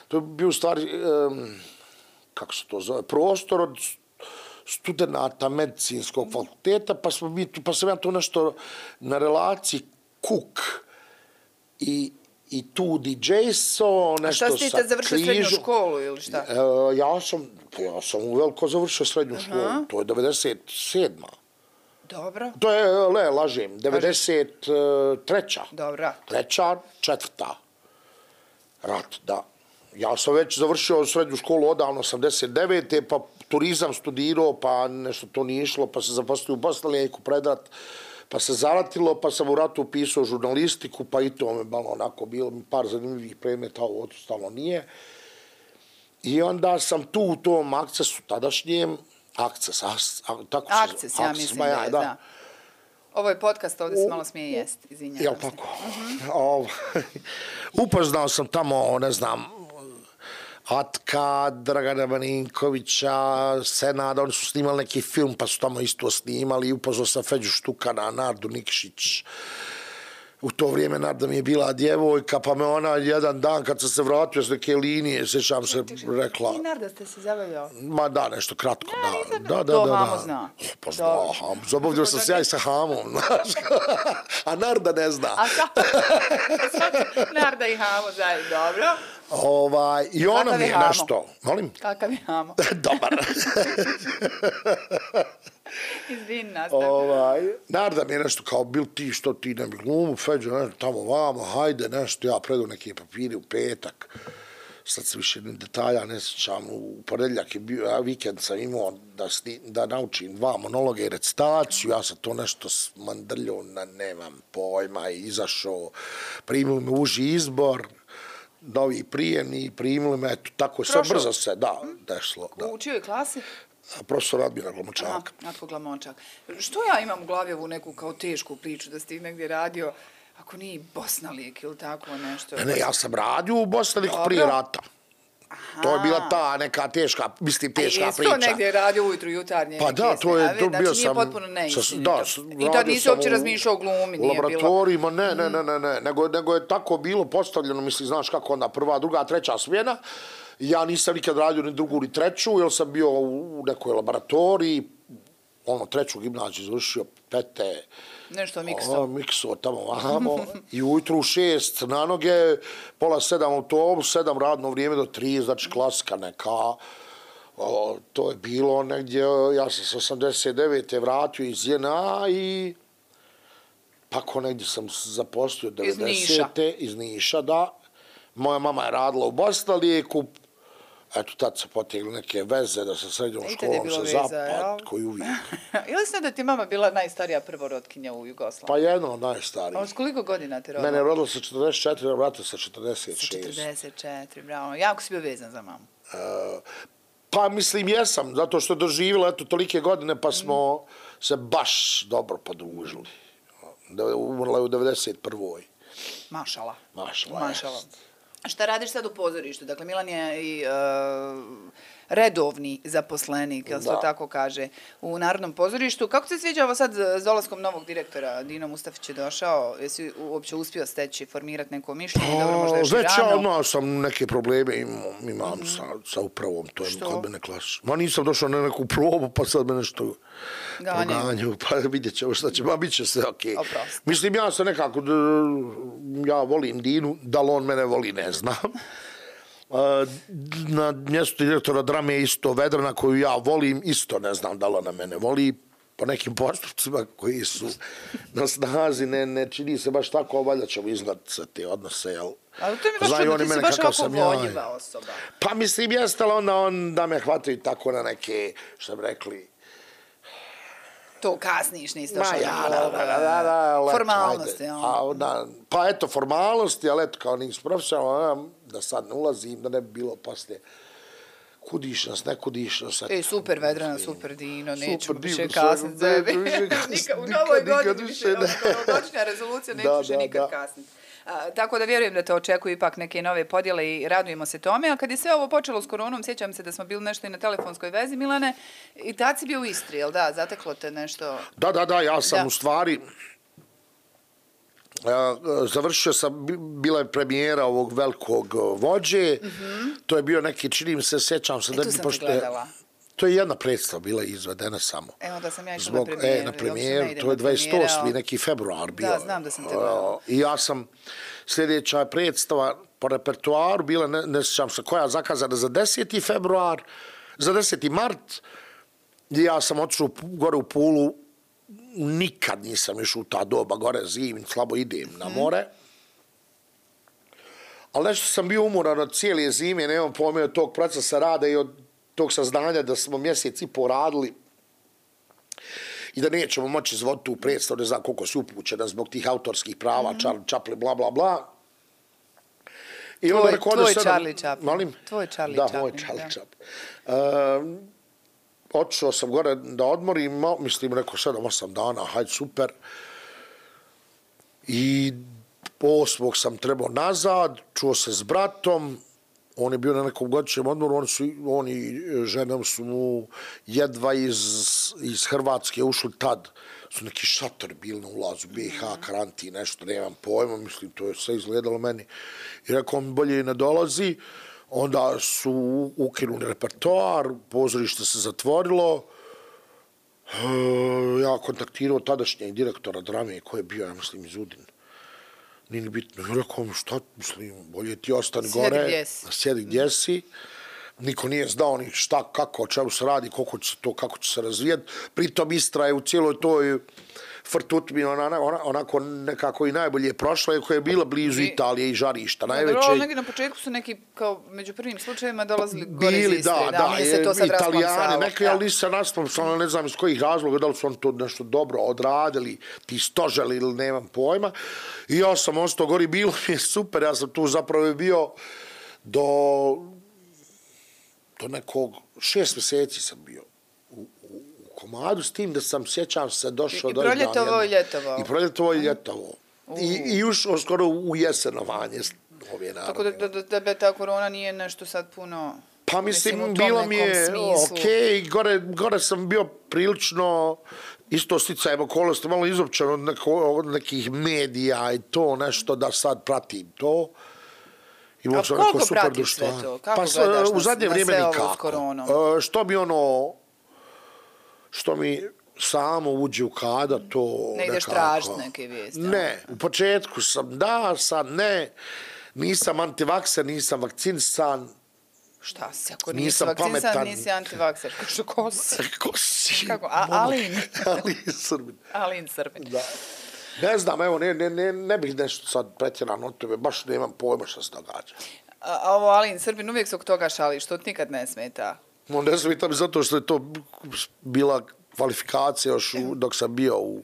to je bio u stvari, um, kako se to zove, prostor od studenata medicinskog fakulteta, pa, smo mi, pa sam ja to nešto na relaciji Kuk i i tu D J-so, nešto sa križu. A šta si ti završio srednju školu ili šta? E, ja sam, ja sam uveliko završio srednju školu, uh -huh. To je devedeset sedma. Dobro. To je, le, lažem, devedeset treća. Dobro. Treća, četvrta. Rat, da. Ja sam već završio srednju školu odavno, osamdeset devete pa turizam studirao, pa nešto to nije išlo, pa se zaposlio u Bosnalijeku pred rat. Pa se zaratilo, pa sam u ratu upisao žurnalistiku, pa i to me malo onako bilo mi par zanimljivih predmeta, ovo ostalo nije. I onda sam tu u tom akcesu tadašnjem, akces, as, a, tako akces, se, ja akces, mislim ba, ja, da je, da. da. Ovo je podcast, ovdje se malo smije jest, izvinjavam Jel se. tako? Uh -huh. Upoznao sam tamo, ne znam, Atka, Dragana Marinkovića, Senada, oni su snimali neki film, pa su tamo isto snimali. Upoznao sam Feđu Štukana, Nardu Nikšić. U to vrijeme Narda mi je bila djevojka, pa me ona jedan dan kad sam se vratio s neke linije, sjećam se, rekla... I Narda ste se zabavljao? Ma da, nešto kratko, da. Da, da, da. To Hamo zna. Pa zna Hamo. Zabavljao sam se ja i sa Hamom, znaš. A Narda ne zna. A sad, Narda i Hamo znaju, dobro. Ovaj, i ona mi je nešto... Molim? Kakav je Hamo? Dobar. Izvin, nastav. Ovaj, Narda mi je nešto kao, bil ti što ti ne bi glumu, Feđo, ne, tamo vamo, hajde, nešto, ja predu neke papiri u petak. Sad se više detalja ne sjećam, u ponedjeljak je bio, ja vikend sam imao da, sni, da naučim dva monologe i recitaciju, ja sam to nešto smandrljao, na nemam pojma, i izašao, primili me uži izbor, novi prijemni, primili me, eto, tako je sve brzo se, da, dešlo. Da. U čijoj klasi? Profesor Admira Glamočak. Aha, Natko Glamočak. Što ja imam u glavi ovu neku kao tešku priču da si ti negdje radio, ako nije Bosnalijek ili tako nešto? Ne, ne, ja sam radio u Bosnalijeku prije rata. Aha. To je bila ta neka teška, mislim, teška A priča. A jesi to negdje radio ujutru jutarnje? Pa da, to je, to znači, bio nije sam... potpuno neistinito. Da, i tad nisi uopće razmišljao o glumi, nije bilo... Laboratorijima, ne, ne, ne, ne, ne, nego, nego je tako bilo postavljeno, misli, znaš kako onda, prva, druga, treća smjena. Ja nisam nikad radio ni drugu ni treću, jer sam bio u nekoj laboratoriji, ono, treću gimnaziju završio, pete... Nešto mikso. Mikso, tamo, vamo. I ujutru u šest na noge, pola sedam autobus, sedam radno vrijeme do tri, znači klasika neka. O, to je bilo negdje, ja sam se osamdeset devete vratio iz J N A i tako negdje sam zaposlio devedesete. Iz Niša. Iz Niša, da. Moja mama je radila u Bosnalijeku. Eto, tad se potegli neke veze da sa srednjom školom se zapad, koji uvijek. Ili se da ti mama bila najstarija prvorotkinja u Jugoslaviji? Pa jedno od najstarijih. A s koliko godina te rodila? Mene je rodila sa četrdeset četiri, a vrata sa četrdeset šest. Sa četrdeset četiri, bravo. Jako si bio vezan za mamu. Uh, pa mislim jesam, zato što je doživjela eto tolike godine, pa smo mm. se baš dobro podružili. Umrla je u devedeset prvoj. Mašala. Mašala, Mašala. Šta radiš sad u pozorištu? Dakle, Milan je i uh, redovni zaposlenik, jel se to tako kaže, u Narodnom pozorištu. Kako se sviđa ovo sad s dolaskom novog direktora? Dino Mustafić je došao. Jesi uopće uspio steći, formirati neko mišljenje? Pa, dobro, možda još već rano. ja imao sam neke probleme, imam, imam mm -hmm. sa, sa upravom. To je kod mene klasično. Ma nisam došao na neku probu, pa sad me nešto... Ganjaju. Pa vidjet ćemo šta će, ma bit će sve okej. Oprosti. Mislim, ja sam nekako, ja volim Dinu, da li on mene voli, ne znam. Na mjestu direktora drame je isto Vedrana koju ja volim, isto ne znam da li ona mene voli. Po nekim postupcima koji su na snazi, ne, ne čini se baš tako, valjda ćemo iznad sa te odnose, jel? Ali to mi baš čudno, ti si baš ovako voljiva osoba. Pa mislim, jeste, ali onda on da me hvataju tako na neke, što bi rekli... To kasniš, nisi Ma došao ja, na da, da, da, da, formalnosti, ajde. ja. A, da, pa eto, formalnosti, ali eto, kao nisi profesionalno, da sad ne ulazim, da ne bi bilo poslije kudiš nas, ne kudiš nas. E, super Vedrana, super Dino, nećemo Super, više Dino, kasniti ne, zebi. više kasniti, U novoj nikad, nikad godini više više, ne. novogodišnja rezolucija, neću Da, više da, nikad da. kasniti. A, tako da vjerujem da te očekuju ipak neke nove podjele i radujemo se tome. A kad je sve ovo počelo s koronom, sjećam se da smo bili nešto i na telefonskoj vezi, Milane, i tad si bio u Istri, jel da? Zateklo te nešto... Da, da, da, ja sam Da. u stvari... Uh, završio sam, bila je premijera ovog velikog uh, vođe, mm-hmm. To je bio neki, čini mi se, sjećam se... E, da tu bi, sam pošto te je- gledala. To je jedna predstava bila izvedena samo. Evo da sam ja išla Zbog, na premijeru. e, na i premijeru, uopšte ne idem to je na premijere, dvadeset osmi ali- neki februar bio. Da, znam da sam te gledala. Uh, I ja sam, sljedeća predstava po repertoaru bila, ne, ne sjećam se koja, zakazana za deseti februar, za deseti mart, i ja sam otišao gore u Pulu, nikad nisam išao u ta doba, gore zim, slabo idem na more. Ali nešto sam bio umoran od cijele zime, nemam pojma od tog procesa rada i od tog saznanja da smo mjesec i po radili i da nećemo moći izvoditi tu predstavu, ne znam koliko si upućena zbog tih autorskih prava, mm-hmm. Charlie Chaplin, bla, bla, bla. I Tvoj- onda rekao, tvoj ode sedam- Charlie Chaplin. Molim? Tvoj Charlie da, Chaplin, moj Charlie da. Chaplin. Um, otišao sam gore da odmorim, ma- mislim, rekao sedam, osam dana, hajde, super. I osmog sam trebao nazad, čuo se s bratom, on je bio na nekom godišnjem odmoru, oni, su, oni i ženom su mu jedva iz, iz Hrvatske ušli tad, su neki šator bili na ulazu, B i H, karantin, nešto, nemam pojma, mislim, to je sve izgledalo meni. I rekao mi bolje i ne dolazi, onda su ukinuli repertoar, pozorište se zatvorilo, e, ja kontaktirao tadašnjeg direktora drame koji je bio, ja mislim, iz Udine. Nije ni bitno. I rekao mi, šta, mislim, bolje ti ostani Sjedi gore, gdje si. sjedi gdje si. Niko nije znao ni šta, kako, o čemu se radi, koliko će se to, kako će se razvijeti. Pritom Istra je u cijeloj toj frtutmi ona, ona, onako nekako i najbolje prošla, iako je bila blizu I- Italije i žarišta. Da, Najveće... dobro, negdje na početku su neki, kao među prvim slučajevima, dolazili gore iz Bili, Istre. da, da, nije se to sad Italijani, rasplamsalo. neki, Da. ali nisu se rasplamsalo, ne znam iz kojih razloga, da li su oni to nešto dobro odradili, ti stoželi ili nemam pojma. I ja sam ostao gori, bilo mi je super, ja sam tu zapravo bio do, do nekog, šest mjeseci sam bio u, u, u komadu, s tim da sam, sjećam se, došao I- i do... proljetovao i ljetovao. I proljetovao i ljetovao. I, i ušao skoro u jesenovanje ove narode. Tako da, da, da tebe ta korona nije nešto sad puno... Pa mislim, u tom bilo nekom mi je smislu. okej, okay. gore, gore sam bio prilično isto sticajem okolnosti, malo izopćen od, neko, od nekih medija i to nešto da sad pratim to. Imao A sam koliko neko super pratiš sve društvo. to? Kako Pa s- gledaš u na- zadnje na vrijeme sve ovo s nikako. koronom? E, Što mi ono, što mi samo uđe u kada, to Ne ideš nekako... tražiti neke vijesti, a? Ne, u početku sam da, sad ne. Nisam antivakser, nisam vakcinisan. Šta si, ako nisi Nisam vakcinisan, pametan. nisi antivakser. Što ko si? Ko si? Kako? A, Alin. Alin Srbin. Alin Srbin. Da. Ne znam, evo, ne, ne, ne, ne bih nešto sad pretjerano od tebe, baš nemam pojma šta se događa. A, a ovo Alin Srbin uvijek se oko toga šali, što ti nikad ne smeta. No, ne smitam zato što je to bila kvalifikacija još u, dok sam bio u,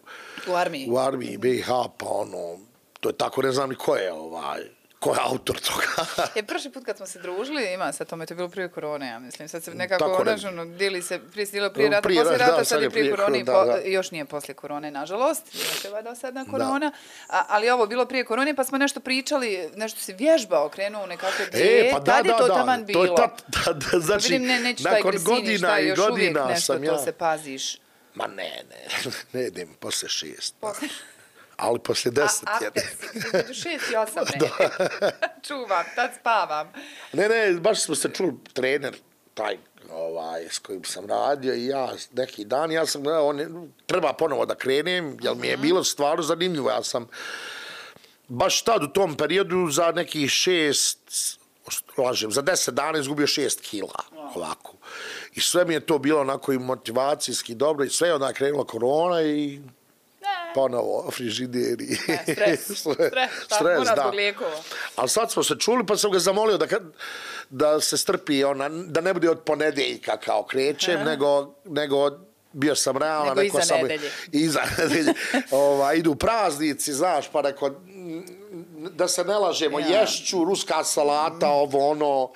U armiji. u armiji B i H, pa ono, to je tako, ne znam ni ko je, ovaj, ko je autor toga. E, prošli put kad smo se družili, ima sad tome, to je bilo prije korone, ja mislim. Sad se nekako, Tako znaš, ne- ono, dijeli se, prije se dijelilo prije rata, Prije poslije rata, rata, da, sad je prije korone, i da, po- da. još nije poslije korone, nažalost, još je valjda sad na korona, a, ali ovo bilo prije korone, pa smo nešto pričali, nešto si vježbao, krenuo u nekakve diete, E, pa da, tad je da, to da, taman to bilo. je tad, da, da, znači, Vidim, ne, neću taj nakon gresini, godina šta, i još uvijek godina nešto, sam to ja... se paziš. Ma ne, ne, ne idem posle šest. Posle- Ali posle deset A, je. after si, između šest i osam, ne. Čuvam, tad spavam. Ne, ne, baš smo se čuli, trener, taj, ovaj, ovaj, s kojim sam radio i ja neki dan, ja sam gledao, on, treba ponovo da krenem, jer mi je bilo stvarno zanimljivo. Ja sam baš tad u tom periodu za nekih šest, lažem, za deset dana izgubio šest kila, ovako. I sve mi je to bilo onako i motivacijski dobro i sve je onda krenula korona i ponovo frižideri. E, stres, stres, stres, da. Zbog lijekova. Ali sad smo se čuli pa sam ga zamolio da, da se strpi, ona, da ne bude od ponedeljka kao krećem, Aha. nego, nego bio sam realan. Nego iza sam, nedelje. Iza nedelje. Ova, idu praznici, znaš, pa neko, da se ne lažemo, ja. Ješću, ruska salata, ovo ono,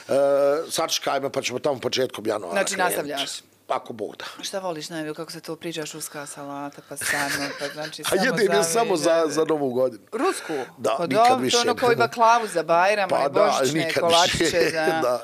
e, sačekajme pa ćemo tamo početkom januara. Znači krenuti. Nastavljaš? Ako Bog da. Šta voliš najbolje, kako se to pričaš, ruska salata, pa samo, pa znači samo za... A jedin je samo za, za Novu godinu. Rusku? Da, pa nikad do, više. To ono koji baklavu za Bajram, pa i božićne da, kolačiće za... da.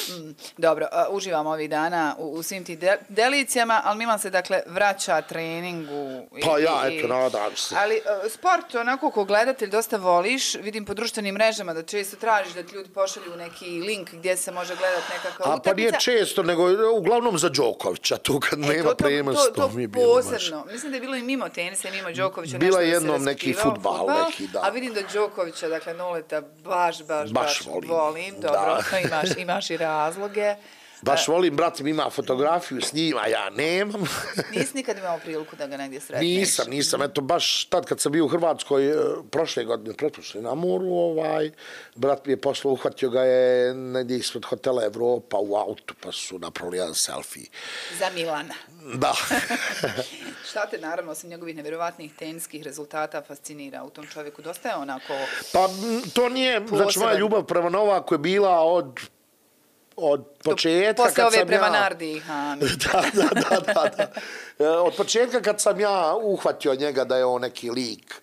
Mm, dobro, uh, uživam ovih dana u, u svim tim de, delicijama, ali Milan se dakle vraća treningu. I, pa ja, i, eto, nadam se. Ali uh, sport, onako ko gledatelj dosta voliš, vidim po društvenim mrežama da često tražiš da ti ljudi pošalju neki link gdje se može gledati nekakva utakmica. A pa nije često, nego uglavnom za Đokovića, tu kad e, nema premjesta. To, to, to posebno. Mislim da je bilo i mimo tenisa i mimo Đokovića. Bila je jednom neki futbal, neki, da. A vidim da Đokovića, dakle, Noleta, baš, baš, baš, baš volim. volim. Dobro, da. imaš, imaš i razloge. Baš volim, brat mi ima fotografiju s njim, a ja nemam. Nisi nikad imao priliku da ga negdje sretneš? Nisam, nisam. Eto, baš tad kad sam bio u Hrvatskoj, prošle godine, pretprošle na moru, ovaj, brat mi je poslao, uhvatio ga je negdje ispred hotela Evropa u autu, pa su napravili jedan selfie. Za Milana. Da. Šta te, naravno, osim njegovih nevjerovatnih teniskih rezultata fascinira u tom čovjeku? Dosta je onako... Pa to nije, znači moja ljubav prema Novaku je bila od... od početka posle kad ove sam prema ja... Nardi. da, da, da, da, da. Od početka kad sam ja uhvatio njega da je on neki lik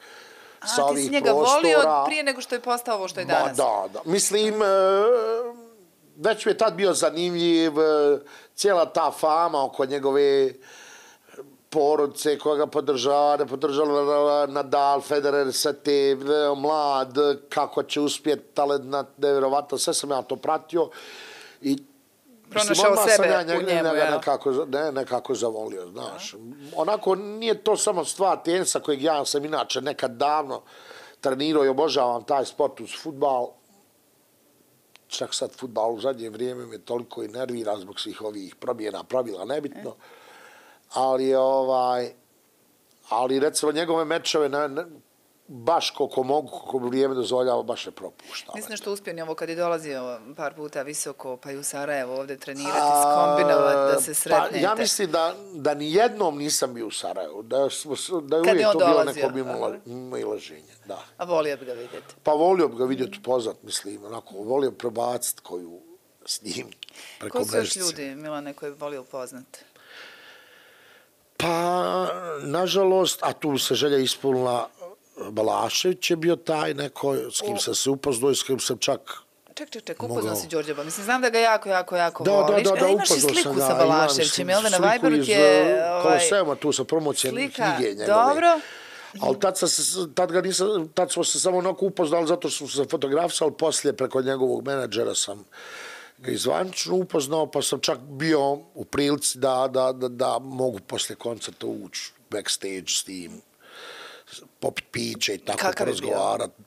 A, sa ovih prostora... A, ti si njega prostora, volio prije nego što je postao ovo što je danas. Ma, da, da. Mislim, već mi je tad bio zanimljiv, cijela ta fama oko njegove porodice koja ga podržava, ne podržava Nadal, Federer, sve te, mlad, kako će uspjeti, talent, nevjerovatno, sve sam ja to pratio. I pronašao sebe ja njega, u njemu, njega nekako, ne, nekako zavolio, znaš. Onako, nije to samo stvar tenisa kojeg ja sam inače nekad davno trenirao i obožavam taj sport uz fudbal. Čak sad fudbal u zadnje vrijeme me toliko i nervira zbog svih ovih promjena, pravila, nebitno. Ali, ovaj, ali recimo njegove mečeve, ne, ne, baš koliko mogu, koliko vrijeme dozvoljava, baš je propuštao. Mislim što uspio njevo kad je dolazio par puta visoko, pa i u Sarajevo ovdje trenirati, skombinovati da se sretnete. Pa ja mislim da, da ni jednom nisam bio u Sarajevu, da, da je uvijek je to bilo neko miloženje. Da. A volio bi ga vidjeti? Pa volio bi ga vidjeti upoznat, mislim, onako, volio bi prebaciti koju s njim preko mrežice. Ko su još ljudi, Milane, koji bi volio upoznat? Pa, nažalost, a tu se želja ispunila, Balašević je bio taj neko s kim sam se upoznao i s kim sam čak... Ček, ček, ček, upoznao si Đorđeba. Mislim, znam da ga jako, jako, jako da, voliš. Da, da, da, e, imaš i sliku sam, sa Balaševićem, jel da na Viberu ti je... Ovaj, Kolosema tu sa promocijom knjige njegove. Dobro. Ali tad, sam, tad, ga nisam, tad smo se samo onako upoznali zato što smo se fotografisali, poslije preko njegovog menadžera sam ga izvanično upoznao, pa sam čak bio u prilici da, da, da, da mogu poslije koncerta ući backstage s tim, popit piće i tako porazgovarati.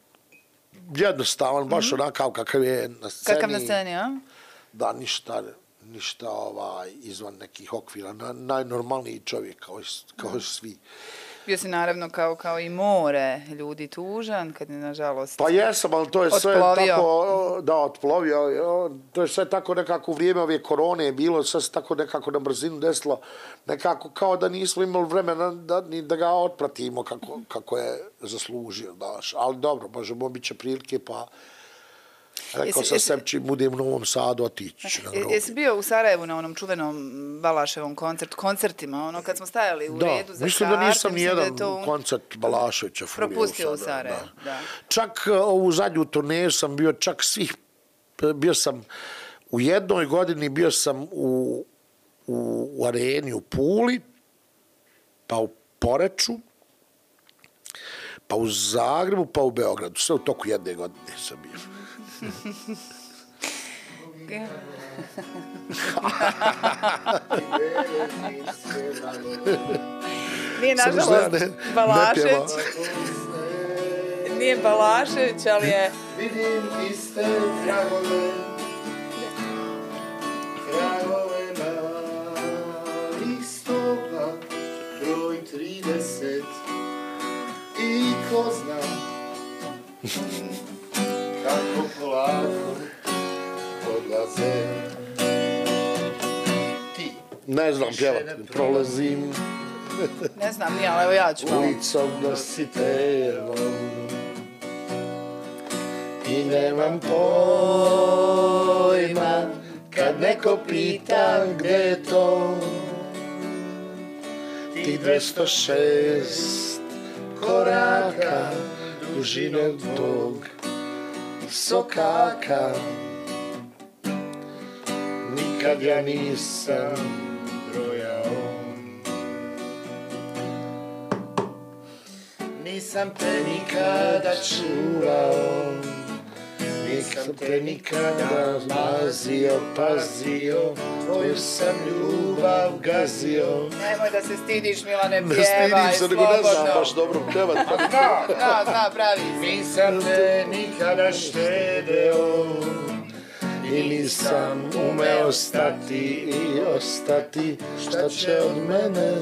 Jednostavan, baš mm-hmm. onakav kakav je na sceni. Kakav na sceni, a? Da, ništa, ništa ovaj, izvan nekih okvira. Na, najnormalniji čovjek kao, kao mm. svi. Bio si naravno kao, kao i more ljudi tužan, kad je nažalost pa jesam, ali to je sve otplovio. Tako, da, otplovio. To je sve tako nekako u vrijeme ove korone je bilo, sve se tako nekako na brzinu desilo, nekako kao da nismo imali vremena da, ni da ga otpratimo kako, kako je zaslužio, daš. Ali dobro, možemo, bit će prilike, pa rekao sam sebi čim budem u Novom Sadu, otići ću na groblje. Jesi bio u Sarajevu na onom čuvenom Balaševom koncertu, koncertima, ono kad smo stajali u da, redu za mislim karte? Da nisam ni jedan to... koncert Balaševića propustio u Sarajevu. Da. Da. Čak ovu zadnju turneju sam bio, čak svih, bio sam u jednoj godini, bio sam u, u, u areni u Puli, pa u Poreču, pa u Zagrebu, pa u Beogradu. Sve u toku jedne godine sam bio. Nije nažalost Balašević. Nije Balašević, ali je... Vidim iste tragove, tragove na listopa, broj trideset. I ko zna kako polako odlaze ti. Ne znam pjevat, prolazim Ne znam, nije, ali evo ja ću malo. ulicom nositelom i nemam pojma kad neko pita gde je to ti dvesta šest koraka dužine tog sokaka. Nikad ja nisam brojao, nisam te nikada čuvao, nisam te nikada mazio, pazio, tvoju sam ljubav gazio. Nemoj da se stidiš, Milane, Ne pjevaj, stidim se, nego ne znam slobodno. baš dobro pjevat. Da, zna, pravi si. Nisam te nikada štedeo i nisam umeo stati i ostati. Šta će od mene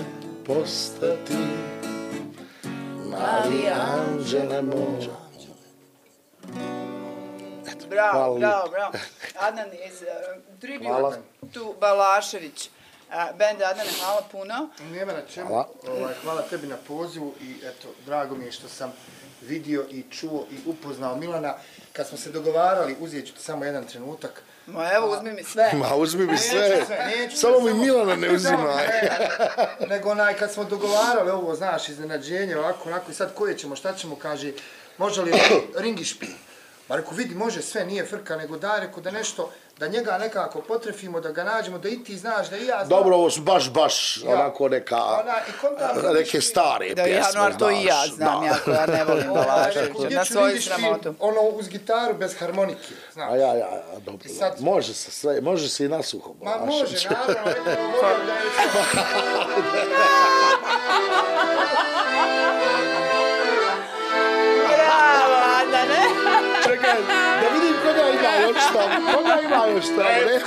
postati? Mali anđele moj. Bravo, Hvala bravo, bravo. Adnan iz uh, Tribute Hvala. tu Balašević. Uh, band Adnane, hvala puno. Nema na čemu. Hvala. Ovaj, hvala tebi na pozivu i eto, drago mi je što sam vidio i čuo i upoznao Milana. Kad smo se dogovarali, uzet ću ti samo jedan trenutak. Ma evo, uzmi mi sve. Ma uzmi mi sve, Neću sve, neću samo sve, mi Milana ne uzimaj. Ne, nego onaj, kad smo dogovarali ovo, znaš, iznenađenje, ovako, onako, i sad koje ćemo, šta ćemo, kaže, može li ringi špil? Ma reku, vidi, može sve, nije frka, nego daj, reku, da nešto, da njega nekako potrefimo, da ga nađemo, da i ti znaš, da i ja znam. Dobro, ovo su baš, baš Ja. onako neka, Ona, i kontam, neke stare Da, pjesme, ja, no, ali to i ja znaš, znam, da. ja koja ne volim Ovaj, Balaševića, reku, gdje na ću svoju ringi špil, sramotu. ono, uz gitaru, bez harmonike, znaš. A ja, ja, ja, dobro, I sad- dobro. Može se sve, može se i na suho. Ma Balašević. može, naravno, eto, volim da je Bravo, Adnane. Čekaj, da vidim koga ima još tamo, koga ima još tamo, ne?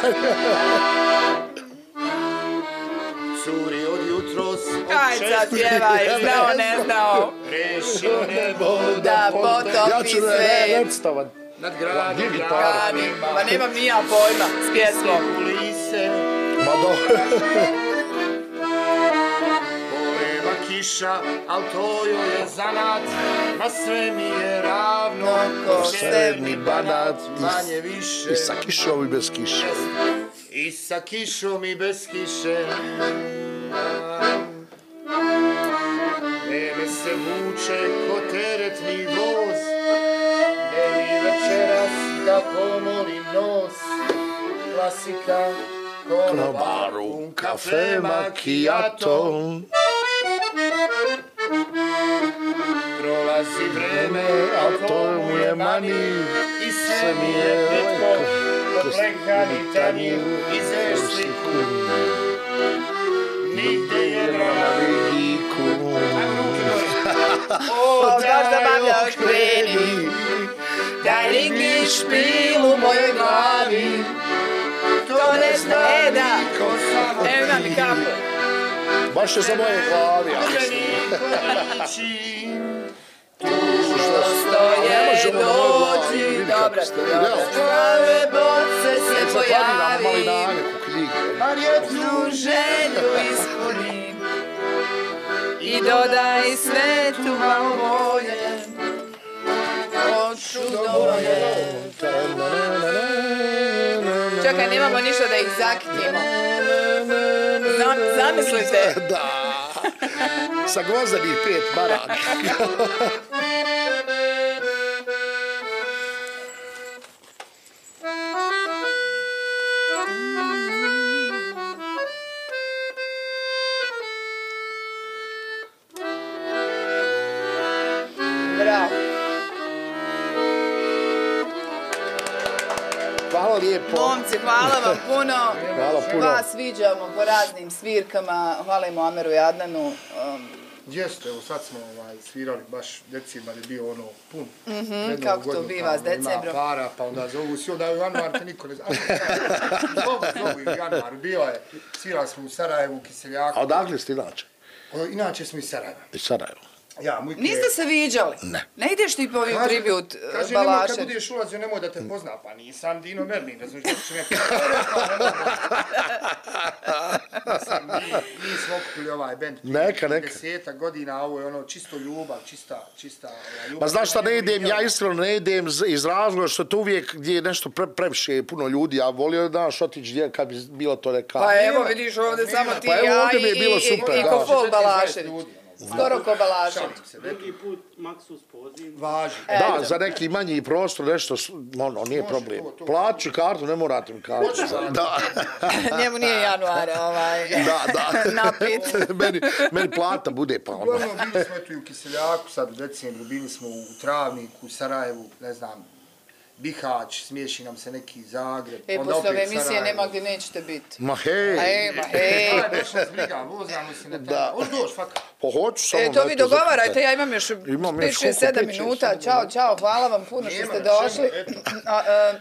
curi od jutros, od Aj, sad pjevaj, znao, ne znao. rešio nebo, Da potopi Ja ću ne, sve. recitavat. nad gradom, Gdje gitara? Radi, ma nemam ni ja pojma s pjesmom. kulise, Ma dobro. poleva kiša, al to joj je zanat, ma sve mi je ravno, Ko Severni banat manje više. i sa kišom i bez kiše. I sa kišom i bez kiše. Vreme se vuče ko teretni voz, ne mi večeras da pomolim nos. Klasika, Na konobaru, baru, kafe, macchiato. prolazi vreme, A to mu je mani, i sve mi je netko, poplekani tanjir i zešliku. Nigde je na vrana vidiku. O, baš zabavljaš, kreni. Daj ringi špil u mojoj glavi. To ne zna, e da. Evo imam i kapu. Baš je za moje glavi, ali Što stoje dođi. Dobra, dobra. Prave boce se pojavi. Jednu želju ispuni. I dodaj svetu malo volje. Hoću dovolje. Čekaj, nemamo ništa da ih zakitimo. Zam, zamislite. Da. Sa gvozdanih pet maraka. Bravo. Hvala lijepo. lijepo. Momci, hvala vam puno. Hvala puno. Vas viđamo po raznim svirkama. Hvala i Muameru i Adnanu. Um, Jeste, evo sad smo ovaj, svirali, baš decembar je bio ono pun. Mm-hmm, kako to biva s decembrom? Ima para, pa onda zovu si, onda u januar te niko ne zna. Zovu, zovu i u januar, bio je, svirali smo u Sarajevu, u Kiseljaku. A odakle ste inače? O, inače smo iz Sarajeva. Iz Sarajeva. Ja, Mujke... Niste se viđali? Ne. Ne ideš ti po ovim tribut Kaže, nemoj kad Balašević? budeš ulazio, nemoj da te pozna, pa nisam Dino Merlin, ne znaš što će me... Mislim, mi, mi smo okupili ovaj band. Neka, neka. Desetak godina, ovo je ono čisto ljubav, čista, čista ljubav. Pa znaš šta, ne idem, ja iskreno ne idem iz razloga što to uvijek gdje je nešto pre, previše puno ljudi, ja volio da daš otići gdje kad bi bilo to neka... Pa evo vidiš ovdje samo ti Pa evo, ja ovdje mi je i, bilo i, super, i da. Kofol Balašević. Skoro ko Balašević. Drugi put Maksus poziv. Važi. Da, za neki manji prostor, nešto, ono, nije problem. to, to. Plaću kartu, ne morate mi kartu. Da, Njemu nije januar, ovaj, da, da. napit. meni, meni plata bude, pa ono. Uglavnom, bili smo eto i u Kiseljaku, sad u decembru, bili smo u Travniku, u Sarajevu, ne znam, Bihać, smiješi nam se neki Zagreb. E, onda posle ove opet emisije Sarajevo. nema gdje nećete biti. Ma hej. Ej, ma hej. Aj, baš nas briga, vozamo se na tebe. Da. Hoš doći, fakat. Pa hoću samo... E, to vi eto, dogovarajte, zaključaj. ja imam još Imam pet, još šest, koliko? sedam pet, šest, minuta. sedam Ćao, minuta. čao, hvala vam puno što Nema ste na čemu, došli. eto. A, a,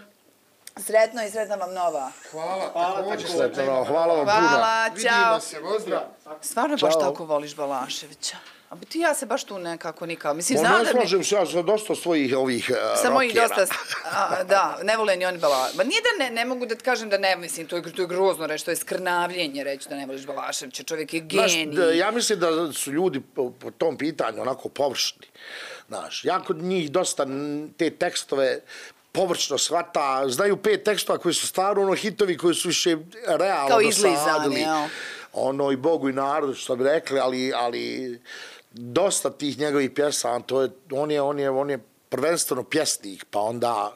Sretno i sretna vam nova. Hvala, Hvala, također. također. Sretno, hvala vam puno. Hvala, Vidimo ćao. se, pozdrav. Stvarno baš Ćao. tako voliš Balaševića. A bi ti ja se baš tu nekako nikao. Mislim, Ono, znam ne da bi... slažem se, ja sam dosta svojih ovih uh, Sa mojih rockera. dosta, a, da, ne vole ni oni Balaševića. Ma nije da ne, ne mogu da ti kažem da ne, mislim, to je, to je grozno reći, to je skrnavljenje reći da ne voliš Balaševića, čovjek je Znaš, genij. da, ja mislim da su ljudi po, po tom pitanju onako površni. Znaš, ja kod njih dosta n- te tekstove površno shvata, znaju pet tekstova koji su stvarno ono hitovi koji su više realno Kao izlizani, dosadili. jel? Ono i Bogu i narodu što bi rekli, ali, ali dosta tih njegovih pjesama, to je, on je, on je, on je prvenstveno pjesnik, pa onda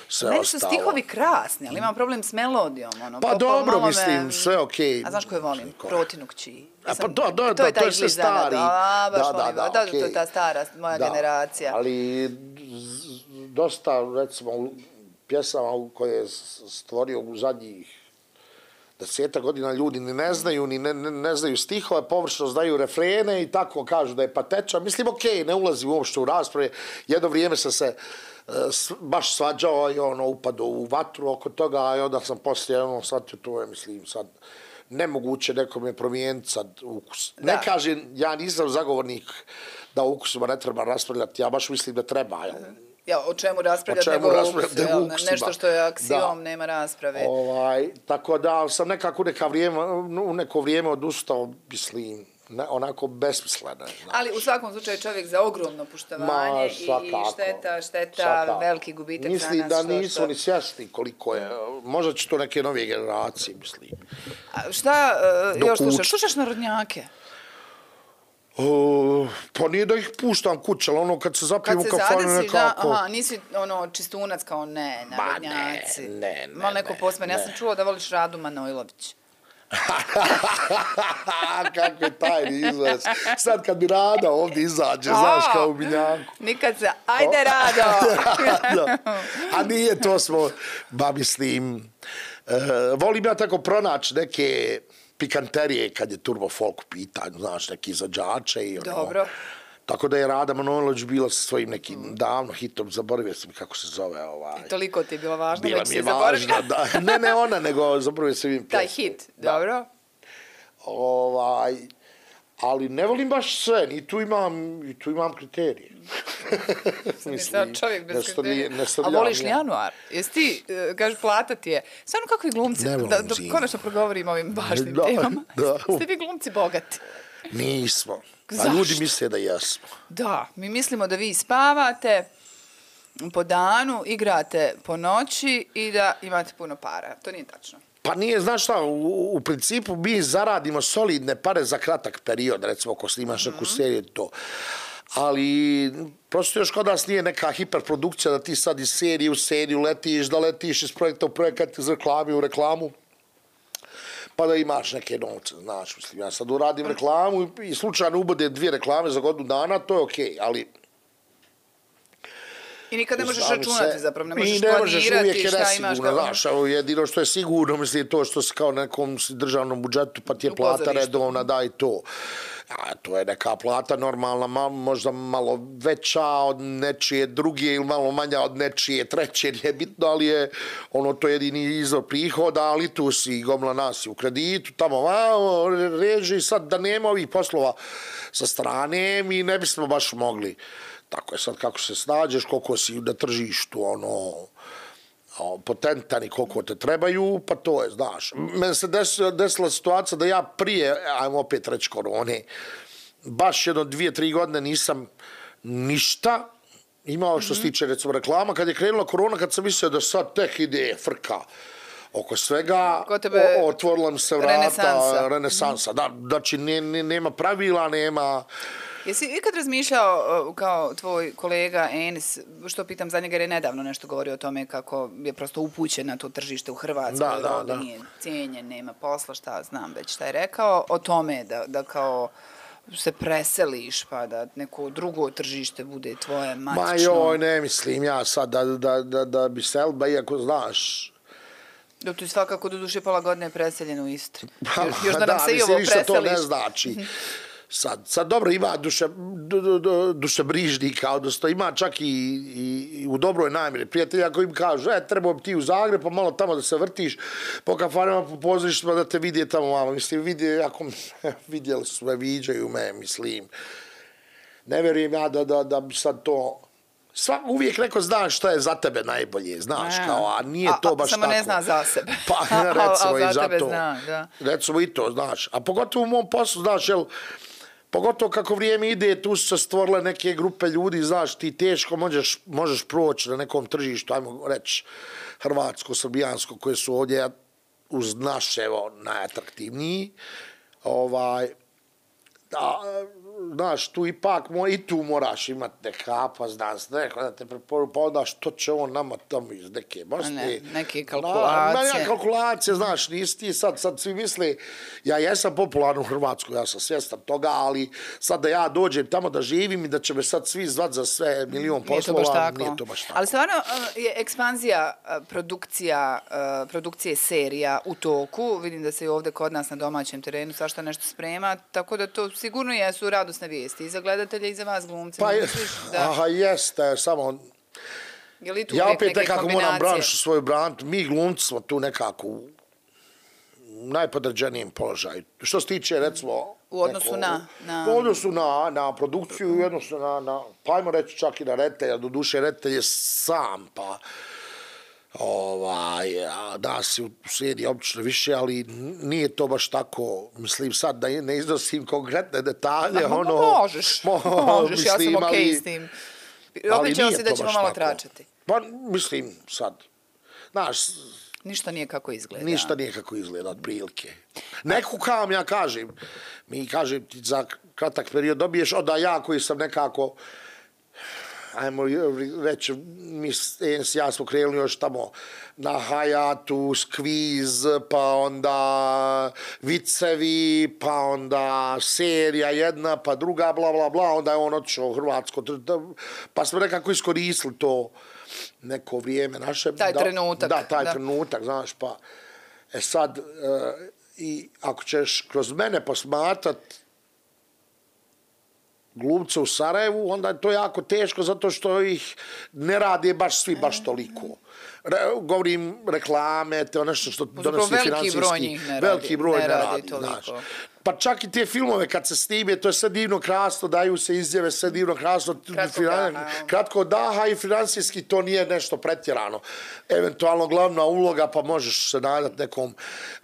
sve Meni su ostalo. stihovi krasni, ali imam problem s melodijom. Ono, Pa po- po- dobro, malo me- mislim, sve okej. A znaš koju volim? Ko? Protinu kći. A pa to, to, to je to ta je sve izlizana, stari. Da, baš Da, da, volim. da, Da, to je okej. ta stara moja Da, generacija. ali z- dosta, recimo, u pjesama u koje je s- stvorio u zadnjih deseta godina ljudi ni ne znaju, ni ne, ne, ne znaju stihove, površno znaju refrene i tako kažu da je patečan. Mislim, okej, ne ulazi uopšte u rasprave. Jedno vrijeme sam se e, s- baš svađao i ono upadao u vatru oko toga, a onda sam poslije ono shvatio to je, mislim, sad nemoguće nekome promijeniti sad ukus. Da. Ne kažem, ja nisam zagovornik da o ukusima ne treba raspravljati, ja baš mislim da treba. Jel? Ja, o čemu raspravljati O čemu nego o raspravljati, ukusu, nego jel? o ukusima. Nešto što je aksiom, Da. nema rasprave. Ovaj, tako da sam nekako neka vrijeme, u neko vrijeme odustao, mislim, ne, onako besmisleno. je, znaš. Ali u svakom slučaju čovjek za ogromno poštovanje Ma, i, i svakako. šteta, šteta, Svakako. veliki gubitak Mislim za nas. da što- nisu što- ni svjesni koliko je, možda će to neke nove generacije, mislim. A šta uh, Dok još slušaš? uči. Slušaš narodnjake? O, pa nije da ih puštam kuće, ali ono kad se zapijem Kad u se kafanu zadesiš, da, nekako... aha, nisi ono čistunac kao ne, Ma narodnjaci. ne, ne, ne, Malo neko ne, posmen. Ja ne. sam čula da voliš Radu Manojlović. Kako je tajni izraz. Sad kad bi Rada ovdje izađe, znaš, kao u Miljanku. Nikad se, ajde Rado! Da. A nije, to smo, ba mislim, e, volim ja tako pronaći neke pikanterije kad je turbo folk u pitanju, znaš, neki izvođače i ono. Dobro. Tako da je Rada Manojlović bila sa svojim nekim davno hitom, zaboravio sam kako se zove ovaj. Toliko ti je bilo važno, Bila već mi si je zaboravio. važna, da. Ne, ne ona, nego zaboravio sam im Taj pjesmu. hit, Da. dobro. Ovaj, ali ne volim baš sve, i tu imam, i tu imam kriterije. Mislim, čovjek bez ne stvari- kriterija. ne A stavljam voliš li ja. januar? Jesi ti, uh, kažeš, plata ti je. Stvarno kakvi glumci, Ne volim da, da zimu. konačno progovorimo o ovim važnim Da, temama. da. Ste vi glumci bogati? Nismo. A Zašto? ljudi misle da jesmo. Da, mi mislimo da vi spavate po danu, igrate po noći i da imate puno para. To nije tačno. Pa nije, znaš šta, u, u principu mi zaradimo solidne pare za kratak period, recimo ako snimaš neku seriju to. Ali prosto još kod nas nije neka hiperprodukcija da ti sad iz serije u seriju letiš, da letiš iz projekta u projekat, iz reklame u reklamu, pa da imaš neke novce, znaš, mislim, ja sad uradim reklamu i, i slučajno ubodem dvije reklame za godinu dana, to je okej, ali I nikad ne možeš Znam računati se- zapravo, ne I možeš ne možeš, planirati uvijek je šta imaš nesigurno, kao... znaš, ovo jedino što je sigurno, mislim, to što si kao nekom državnom budžetu, pa ti je U plata pozorištu. redovna, daj to. A to je neka plata normalna, ma, možda malo veća od nečije druge ili malo manja od nečije treće, nije bitno, ali je ono to jedini izvor prihoda, ali tu si gomla nas u kreditu, tamo vamo, reži sad da nema ovih poslova sa strane, mi ne bismo baš mogli. Tako je sad kako se snađeš, koliko si na tržištu, ono, potentan i koliko te trebaju, pa to je, znaš. Meni se desila, desila situacija da ja prije, ajmo opet reći korone, baš jedno dvije, tri godine nisam ništa imao što se tiče, recimo, reklama. Kad je krenula korona, kad sam mislio da sad tek ide frka oko svega, Kod tebe o, otvorila mi se vrata, renesansa. renesansa. Da, znači, ne, ne, nema pravila, nema... Jesi ikad razmišljao uh, kao tvoj kolega Enis, što pitam za njega jer je nedavno nešto govorio o tome kako je prosto upućen na to tržište u Hrvatskoj, Da, da, ovdje da. nije cijenjen, nema posla, šta znam već šta je rekao, o tome da, da kao se preseliš pa da neko drugo tržište bude tvoje matično. Ma joj, ne mislim ja sad da, da, da, da bi selba, iako znaš... Dok tu svakako do duše pola godine preseljen u Istri. Pa, Još, još da nam se i mislim, ovo ništa to preseliš. ne znači. Sad, sad dobro, ima duše, du, du, du, dušebrižnika, odnosno ima čak i, i, i u dobroj namjeri prijatelja koji im kažu, e, trebao bi ti u Zagreb, pa malo tamo da se vrtiš, po kafanima, po pozorištima, da te vidje tamo malo. Mislim, vidje, ako vidjeli su me, viđaju me, mislim. Ne vjerujem ja da, da, da bi sad to... Sva, uvijek neko zna šta je za tebe najbolje, znaš, A, kao, a nije to baš samo tako. ne zna za sebe. Pa, A, recimo, a i za tebe zato. zna, da. Recimo i to, znaš. A pogotovo u mom poslu, znaš, jel, pogotovo kako vrijeme ide, tu su se stvorile neke grupe ljudi, znaš, ti teško možeš, možeš proći na nekom tržištu, ajmo reći, hrvatsko, srbijansko, koje su ovdje uz naše, evo, najatraktivniji. Ovaj, da, znaš, tu ipak mo, i tu moraš imati neka pa znaš, neko da te preporu, pa onda što će on nama tamo iz neke Bosne. Ne, neke kalkulacije. Na, na, kalkulacije, znaš, nisi ti sad, sad svi misle, ja jesam popularan u Hrvatskoj, ja sam svjestan toga, ali sad da ja dođem tamo da živim i da će me sad svi zvat za sve milion Nije to poslova, baš tako. nije to baš tako. Ali stvarno uh, je ekspanzija uh, produkcija, uh, produkcije serija u toku. Vidim da se i ovdje kod nas na domaćem terenu svašta nešto sprema, tako da to sigurno jesu radosne vijesti i za gledatelje i za vas glumce. Pa Ne je, misliš da, aha, jeste, samo... je li tu Ja uvijek opet neke nekako moram kombinacije? branšu svoju brantu. Mi glumci smo tu nekako u najpodređenijem položaju. Što se tiče, recimo... U odnosu neko, na- na- U odnosu na, na produkciju i u odnosu na, na, pa ajmo reći čak i na reditelja, do duše reditelj je sam, pa... Ovaj, a nas je u seriji obično više, ali nije to baš tako, mislim sad da ne iznosim konkretne detalje, Ma, ono... možeš, mo, možeš, ja sam mislim, okej ali- s tim. ali Obećao nije si da to ćemo baš malo tako. tračati. Pa, mislim, sad, znaš, Ništa nije kako izgleda. ništa nije kako izgleda, otprilike. Neku kam ja kažem, mi kažem ti za kratak period dobiješ, onda ja koji sam nekako, ajmo reći, mi s ja smo krenuli još tamo na Hayatu, Skviz, pa onda vicevi, pa onda serija jedna, pa druga, bla, bla, bla, onda je on otišao u Hrvatsko, pa smo nekako iskoristili to neko vrijeme naše. Taj da, trenutak, Da, taj da. trenutak, znaš, pa, e sad, e, i ako ćeš kroz mene posmatrat glumce u Sarajevu, onda je to jako teško zato što ih ne rade baš svi baš toliko. Re, govorim reklame, to nešto što donosi veliki financijski. broj njih ne radi, veliki broj ne ne radi radi, toliko. znaš. Pa čak i te filmove kad se snime, to je sve divno krasno, daju se izjave, sve divno krasno, Kratkog finan- daha. kratko daha i financijski to nije nešto pretjerano. Eventualno glavna uloga, pa možeš se nadati nekom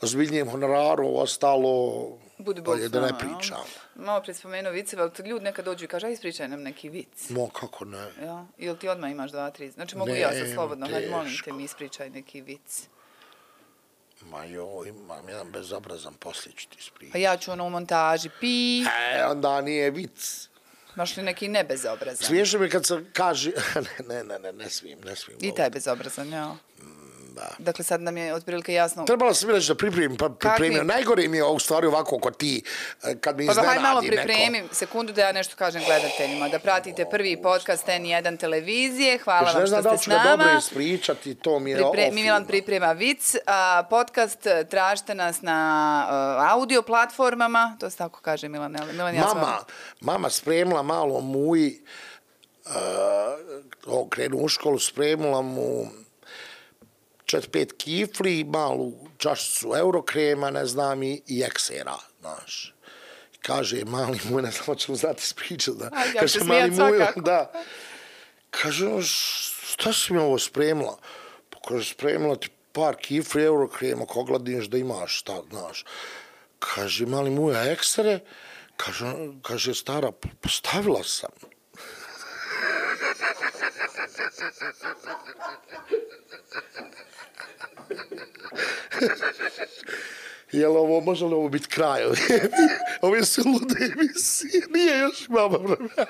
ozbiljnijem honoraru, ostalo Budi Bog bolje s da ne nama, jel? pričam. Malo prije spomenuo viceve, ali ljudi nekad dođu i kaže, aj ispričaj nam neki vic. Mo, kako ne. Ja? Ili ti odmah imaš dva, tri? Znači mogu Ne, ja sad slobodno, hajde molim te teško. mi ispričaj neki vic. Ma joj, imam jedan bezobrazan poslić ti Pa ispričati. ja ću ono u montaži, pi, E, onda nije vic. baš li neki nebezobrazan? Smiješno mi kad se kaže... ne, ne, ne, ne, ne smijem, ne smijem. I taj bezobrazan, ja. Da. Dakle, sad nam je otprilike jasno... Trebalo sam mi reći da pripremim, pa pripremio. Najgore mi je u stvari ovako kod ti, kad mi pa iznenadi neko. Pa hajde malo pripremi, neko. Sekundu da ja nešto kažem gledateljima, da pratite prvi podcast N jedan televizije, hvala vam što ste s nama. Ne znam da li ću dobro ispričati, to mi je Pripre, Milan priprema vic, a, podcast, tražite nas na a, audio platformama, to se tako kaže Milan. Milan ja mama, sam... mama spremila malo muji, uh, krenu u školu, spremila mu četiri pet kifli, malu čašicu eurokrema, ne znam, i, i eksera, znaš. Kaže, mali muj, ne znam, ćemo znati ispričati, da. Ajde, kaže, mali muj, da. Kaže, šta si mi ovo spremila? Pa kaže, spremila ti par kifli eurokrema, ko gladiš da imaš, šta, znaš. Kaže, mali muj, a eksere? Kaže, kaže, stara, postavila sam. Jel ovo, može li ovo biti kraj? Ove su lude emisije, nije još mama vremena.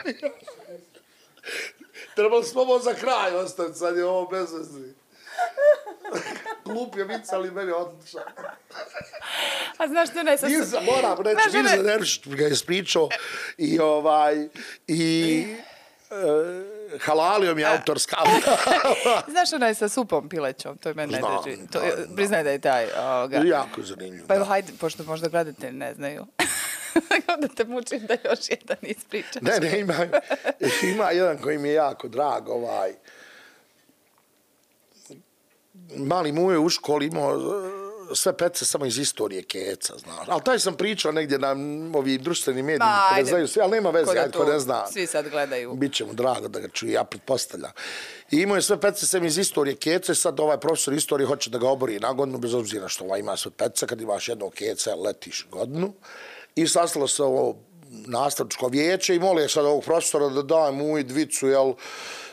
Trebali smo ovo za kraj ostaviti, sad je ovo bez veze. Glup je vic, ali meni je odličan. A znaš što ne... Nisa, moram reći, Nisa Neršić ga je ispričao i ovaj, i... Uh, halalio mi autorska. Znaš onaj sa supom pilećom, to je meni najdraži. Priznaj da je taj. Ovoga. Jako zanimljivo. Pa evo, hajde, pošto možda gledatelji ne znaju. Onda te mučim da još jedan ispričaš. Ne, ne, ima, ima jedan koji mi je jako drag, ovaj. Mali muj u školi imao sve pece samo iz istorije keca, znaš. Ali taj sam pričao negdje na ovim društvenim medijima, koje ne znaju svi, ali nema veze, ajde, ko ne zna. Svi sad gledaju. Biće mu drago da ga čuje, ja pretpostavljam. I imao je sve pece sem iz istorije keca i sad ovaj profesor istorije hoće da ga obori na godinu, bez obzira što ovaj ima sve pece, kad imaš jednog keca, letiš godinu. I sastalo se ovo nastavničko vijeće i molio sad ovog profesora da daje mu i dvicu, jel,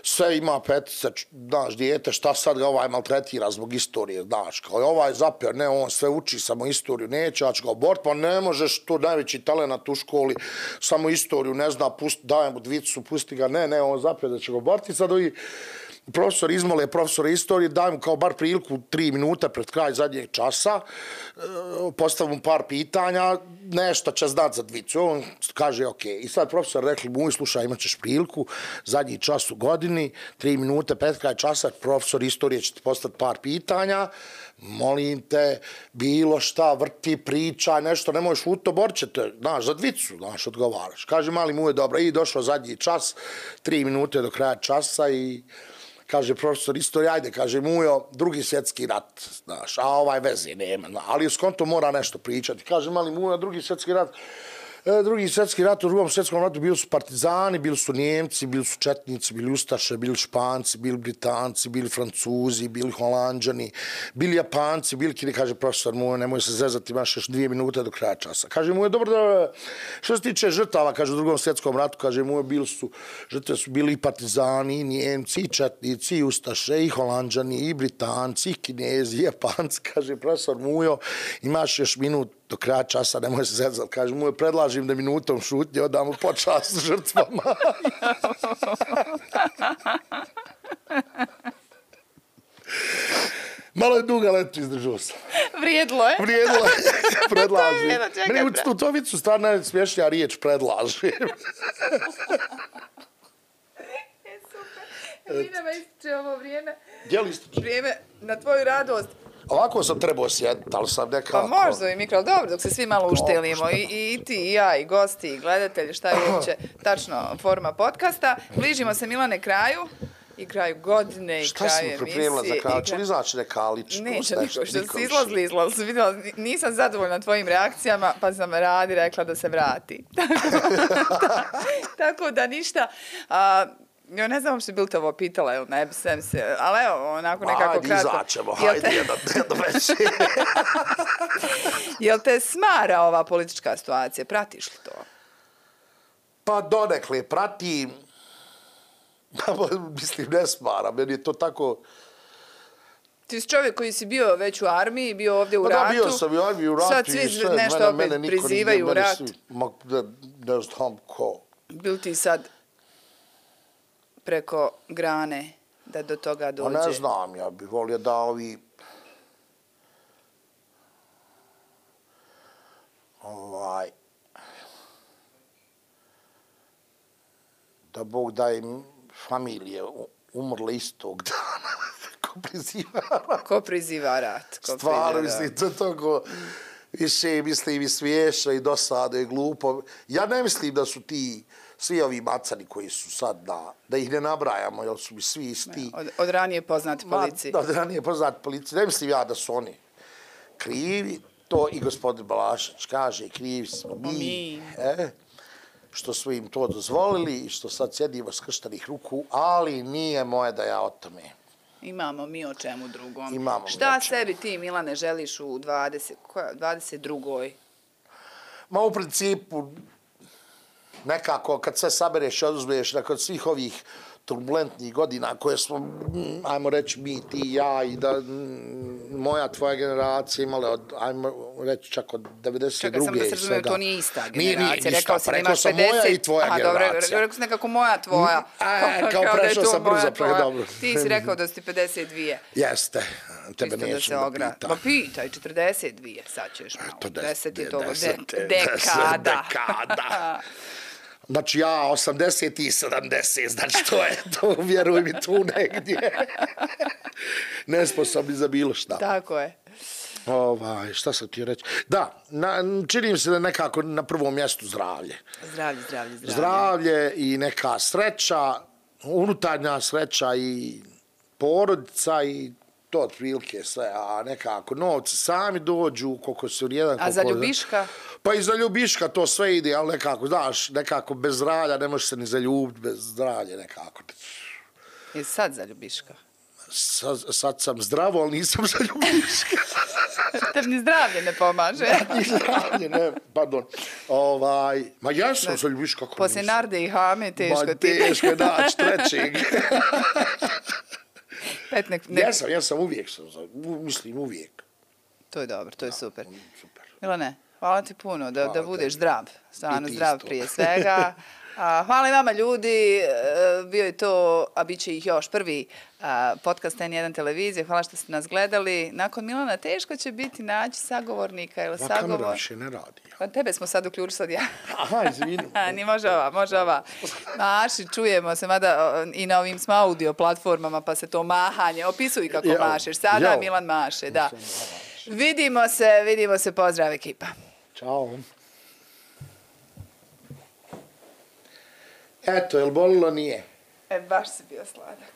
sve ima petice, znaš, dijete, šta sad ga ovaj maltretira zbog istorije, znaš, kao je ovaj zapio, ne, on sve uči, samo istoriju neće, ja ću ga oboriti, pa ne možeš, to najveći talenat u školi, samo istoriju, ne zna, pusti, daje mu dvicu, pusti ga, ne, ne, on zapio da će ga oboriti, sad ovi profesor izmole profesora istorije, daj mu kao bar priliku tri minuta pred kraj zadnjeg časa, postavim mu par pitanja, nešto će znat za dvicu. On kaže, ok. I sad profesor rekli mu, slušaj, imat ćeš priliku, zadnji čas u godini, tri minute pred kraj časa, profesor istorije će ti postaviti par pitanja, molim te, bilo šta, vrti, priča, nešto, ne možeš u to, borit će te, znaš, za dvicu, znaš, odgovaraš. Kaže, mali mu je dobro, i došao zadnji čas, tri minute do kraja časa i kaže profesor istorije, ajde, kaže Mujo, drugi svjetski rat, znaš, a ovaj veze nema, ali s kontom mora nešto pričati. Kaže mali Mujo, drugi svjetski rat, e, drugi svjetski rat, u drugom svjetskom ratu bili su partizani, bili su Njemci, bili su Četnici, bili Ustaše, bili Španci, bili Britanci, bili Francuzi, bili Holanđani, bili Japanci, bili kini, kaže profesor Mujo, nemoj se zezati, imaš još dvije minute do kraja časa. Kaže Mujo, dobro, da, što se tiče žrtava, kaže u drugom svjetskom ratu, kaže Mujo, bili su, žrtve su bili i partizani, i Njemci, i Četnici, i Ustaše, i Holanđani, i Britanci, i Kinezi, i Japanci, kaže profesor Mujo, imaš još minut do kraja časa, nemoj se zezati, kaže Mujo, predlažim da minutom šutnje odamo počast žrtvama. Malo je duga leto izdržao sam. Vrijedlo je. Vrijedlo je. Predlažim. Meni u Stutovicu stvarno je smješnija riječ predlažim. E, super. Mi nama ističe ovo vrijeme. Gdje li ističe? Vrijeme na tvoju radost. Ovako sam trebao sjediti, ali sam nekako... Pa možda i mikro, dobro, dok se svi malo uštelimo, I, i ti, i ja, i gosti, i gledatelji, šta je uopće tačno forma podcasta. Bližimo se, Milane, kraju, i kraju godine, i šta kraju emisije. Šta si mi pripremila za kraju? Će li znači neka ličnost? Neće, niko, što si izlazili, izlazili, vidjela, nisam zadovoljna tvojim reakcijama, pa sam Radi rekla da se vrati. Tako da ništa... A, ja ne znam uopšte bil te ovo pitala, ili ne bi sem se, ali evo, onako nekako kratko. Ajde, izaćemo, hajde, jedan, jedan veći. Jel te smara ova politička situacija? Pratiš li to? Pa donekle, pratim. Mislim, ne smara, meni je to tako... Ti si čovjek koji si bio već u armiji, bio ovdje u pa ratu. Da, bio sam u armiji, u ratu. Sad svi sve, nešto mene, opet mene prizivaju u rat. Svi, ma, ne, ne znam ko. Bil ti sad preko grane da do toga dođe? Pa ne znam, ja bih volio da ovi Bog da im familije umrle istog dana. Ko priziva rat. Ko priziva rat. Ko Stvarno, priziva, mislim, to togo više, mislim, i smiješno i dosadno i glupo. Ja ne mislim da su ti svi ovi macani koji su sad, da, da ih ne nabrajamo, jer su mi svi isti. Od, od ranije poznati policiji. Ma, od ranije poznati policiji. Ne mislim ja da su oni krivi. To i gospodin Balašević kaže, krivi smo mi. mi. E, što smo im to dozvolili i što sad sjedimo skrštenih ruku, ali nije moje da ja o tome. Imamo mi o čemu drugom. Imamo Šta mi o čemu. sebi ti, Milane, želiš u dvadeset, koja, dvadeset drugoj? Ma u principu, nekako kad sve sabereš i oduzmeš nakon svih ovih turbulentnih godina koje smo, ajmo reći, mi, ti i ja i da moja, tvoja generacija imala od, ajmo reći, čak od devedeset druge Čekaj, sam da se i razumijem, svega. to nije ista generacija. Nije, nije, ništa, rekao si da rekao imaš sam pedeset. moja i tvoja Aha, generacija. dobro, rekao si nekako moja, tvoja. A, kao da je prešao to sam moja, brzo, pre tvoja. dobro. Ti si rekao da si pedeset dvije. Jeste, tebe Čisto neću se da ogra- pitam. Ma pitaj, četrdeset dvije, sad ćeš malo. To des- deset je de- to, deset, de- deset, dekada. dekada. Znači ja osamdeset i sedamdeset, znači to je to, vjeruj mi, tu negdje. Nesposobni za bilo šta. Tako je. Ovaj, šta sam ti reći? Da, na, čini mi se da je nekako na prvom mjestu zdravlje. Zdravlje, zdravlje, zdravlje. Zdravlje i neka sreća, unutarnja sreća i porodica i to otprilike sve, a nekako novci sami dođu, koliko su jedan... A za ljubiška? Pa i za ljubiška to sve ide, ali nekako, znaš, nekako bez zdravlja ne možeš se ni zaljubiti, bez zdravlja nekako. Je sad za ljubiška? Sad, sad sam zdravo, ali nisam za ljubiška. Tebi ni zdravlje ne pomaže. Ni zdravlje, ne, pardon. Ovaj, ma ja sam za ljubiška, kako Poslije nisam. Narde i Hame teško Ma, ti. teško je naći trećeg. Pet nek, nek, Ja sam, ja sam uvijek, sam za, u- mislim uvijek. To je dobro, to je super. Super. Milane, hvala ti puno da, da Hvala budeš tebi. zdrav. Stvarno I ti zdrav isto. prije svega. A, hvala i vama ljudi, e, bio je to, a bit će ih još, prvi a, podcast N jedan televizije. Hvala što ste nas gledali. Nakon Milana teško će biti naći sagovornika ili Ma kamera sagovor. više ne radi. Pa tebe smo sad uključili, sad ja. Aha, izvini. A, ni može ova, može ova. Maši, čujemo se, mada o, i na ovim smo audio platformama, pa se to mahanje, opisuj kako Jao, mašeš. Sada jao. Milan maše, da. Vidimo se, vidimo se, pozdrav ekipa. Ćao. Eto, jel bolilo nije? E, baš si bio sladak.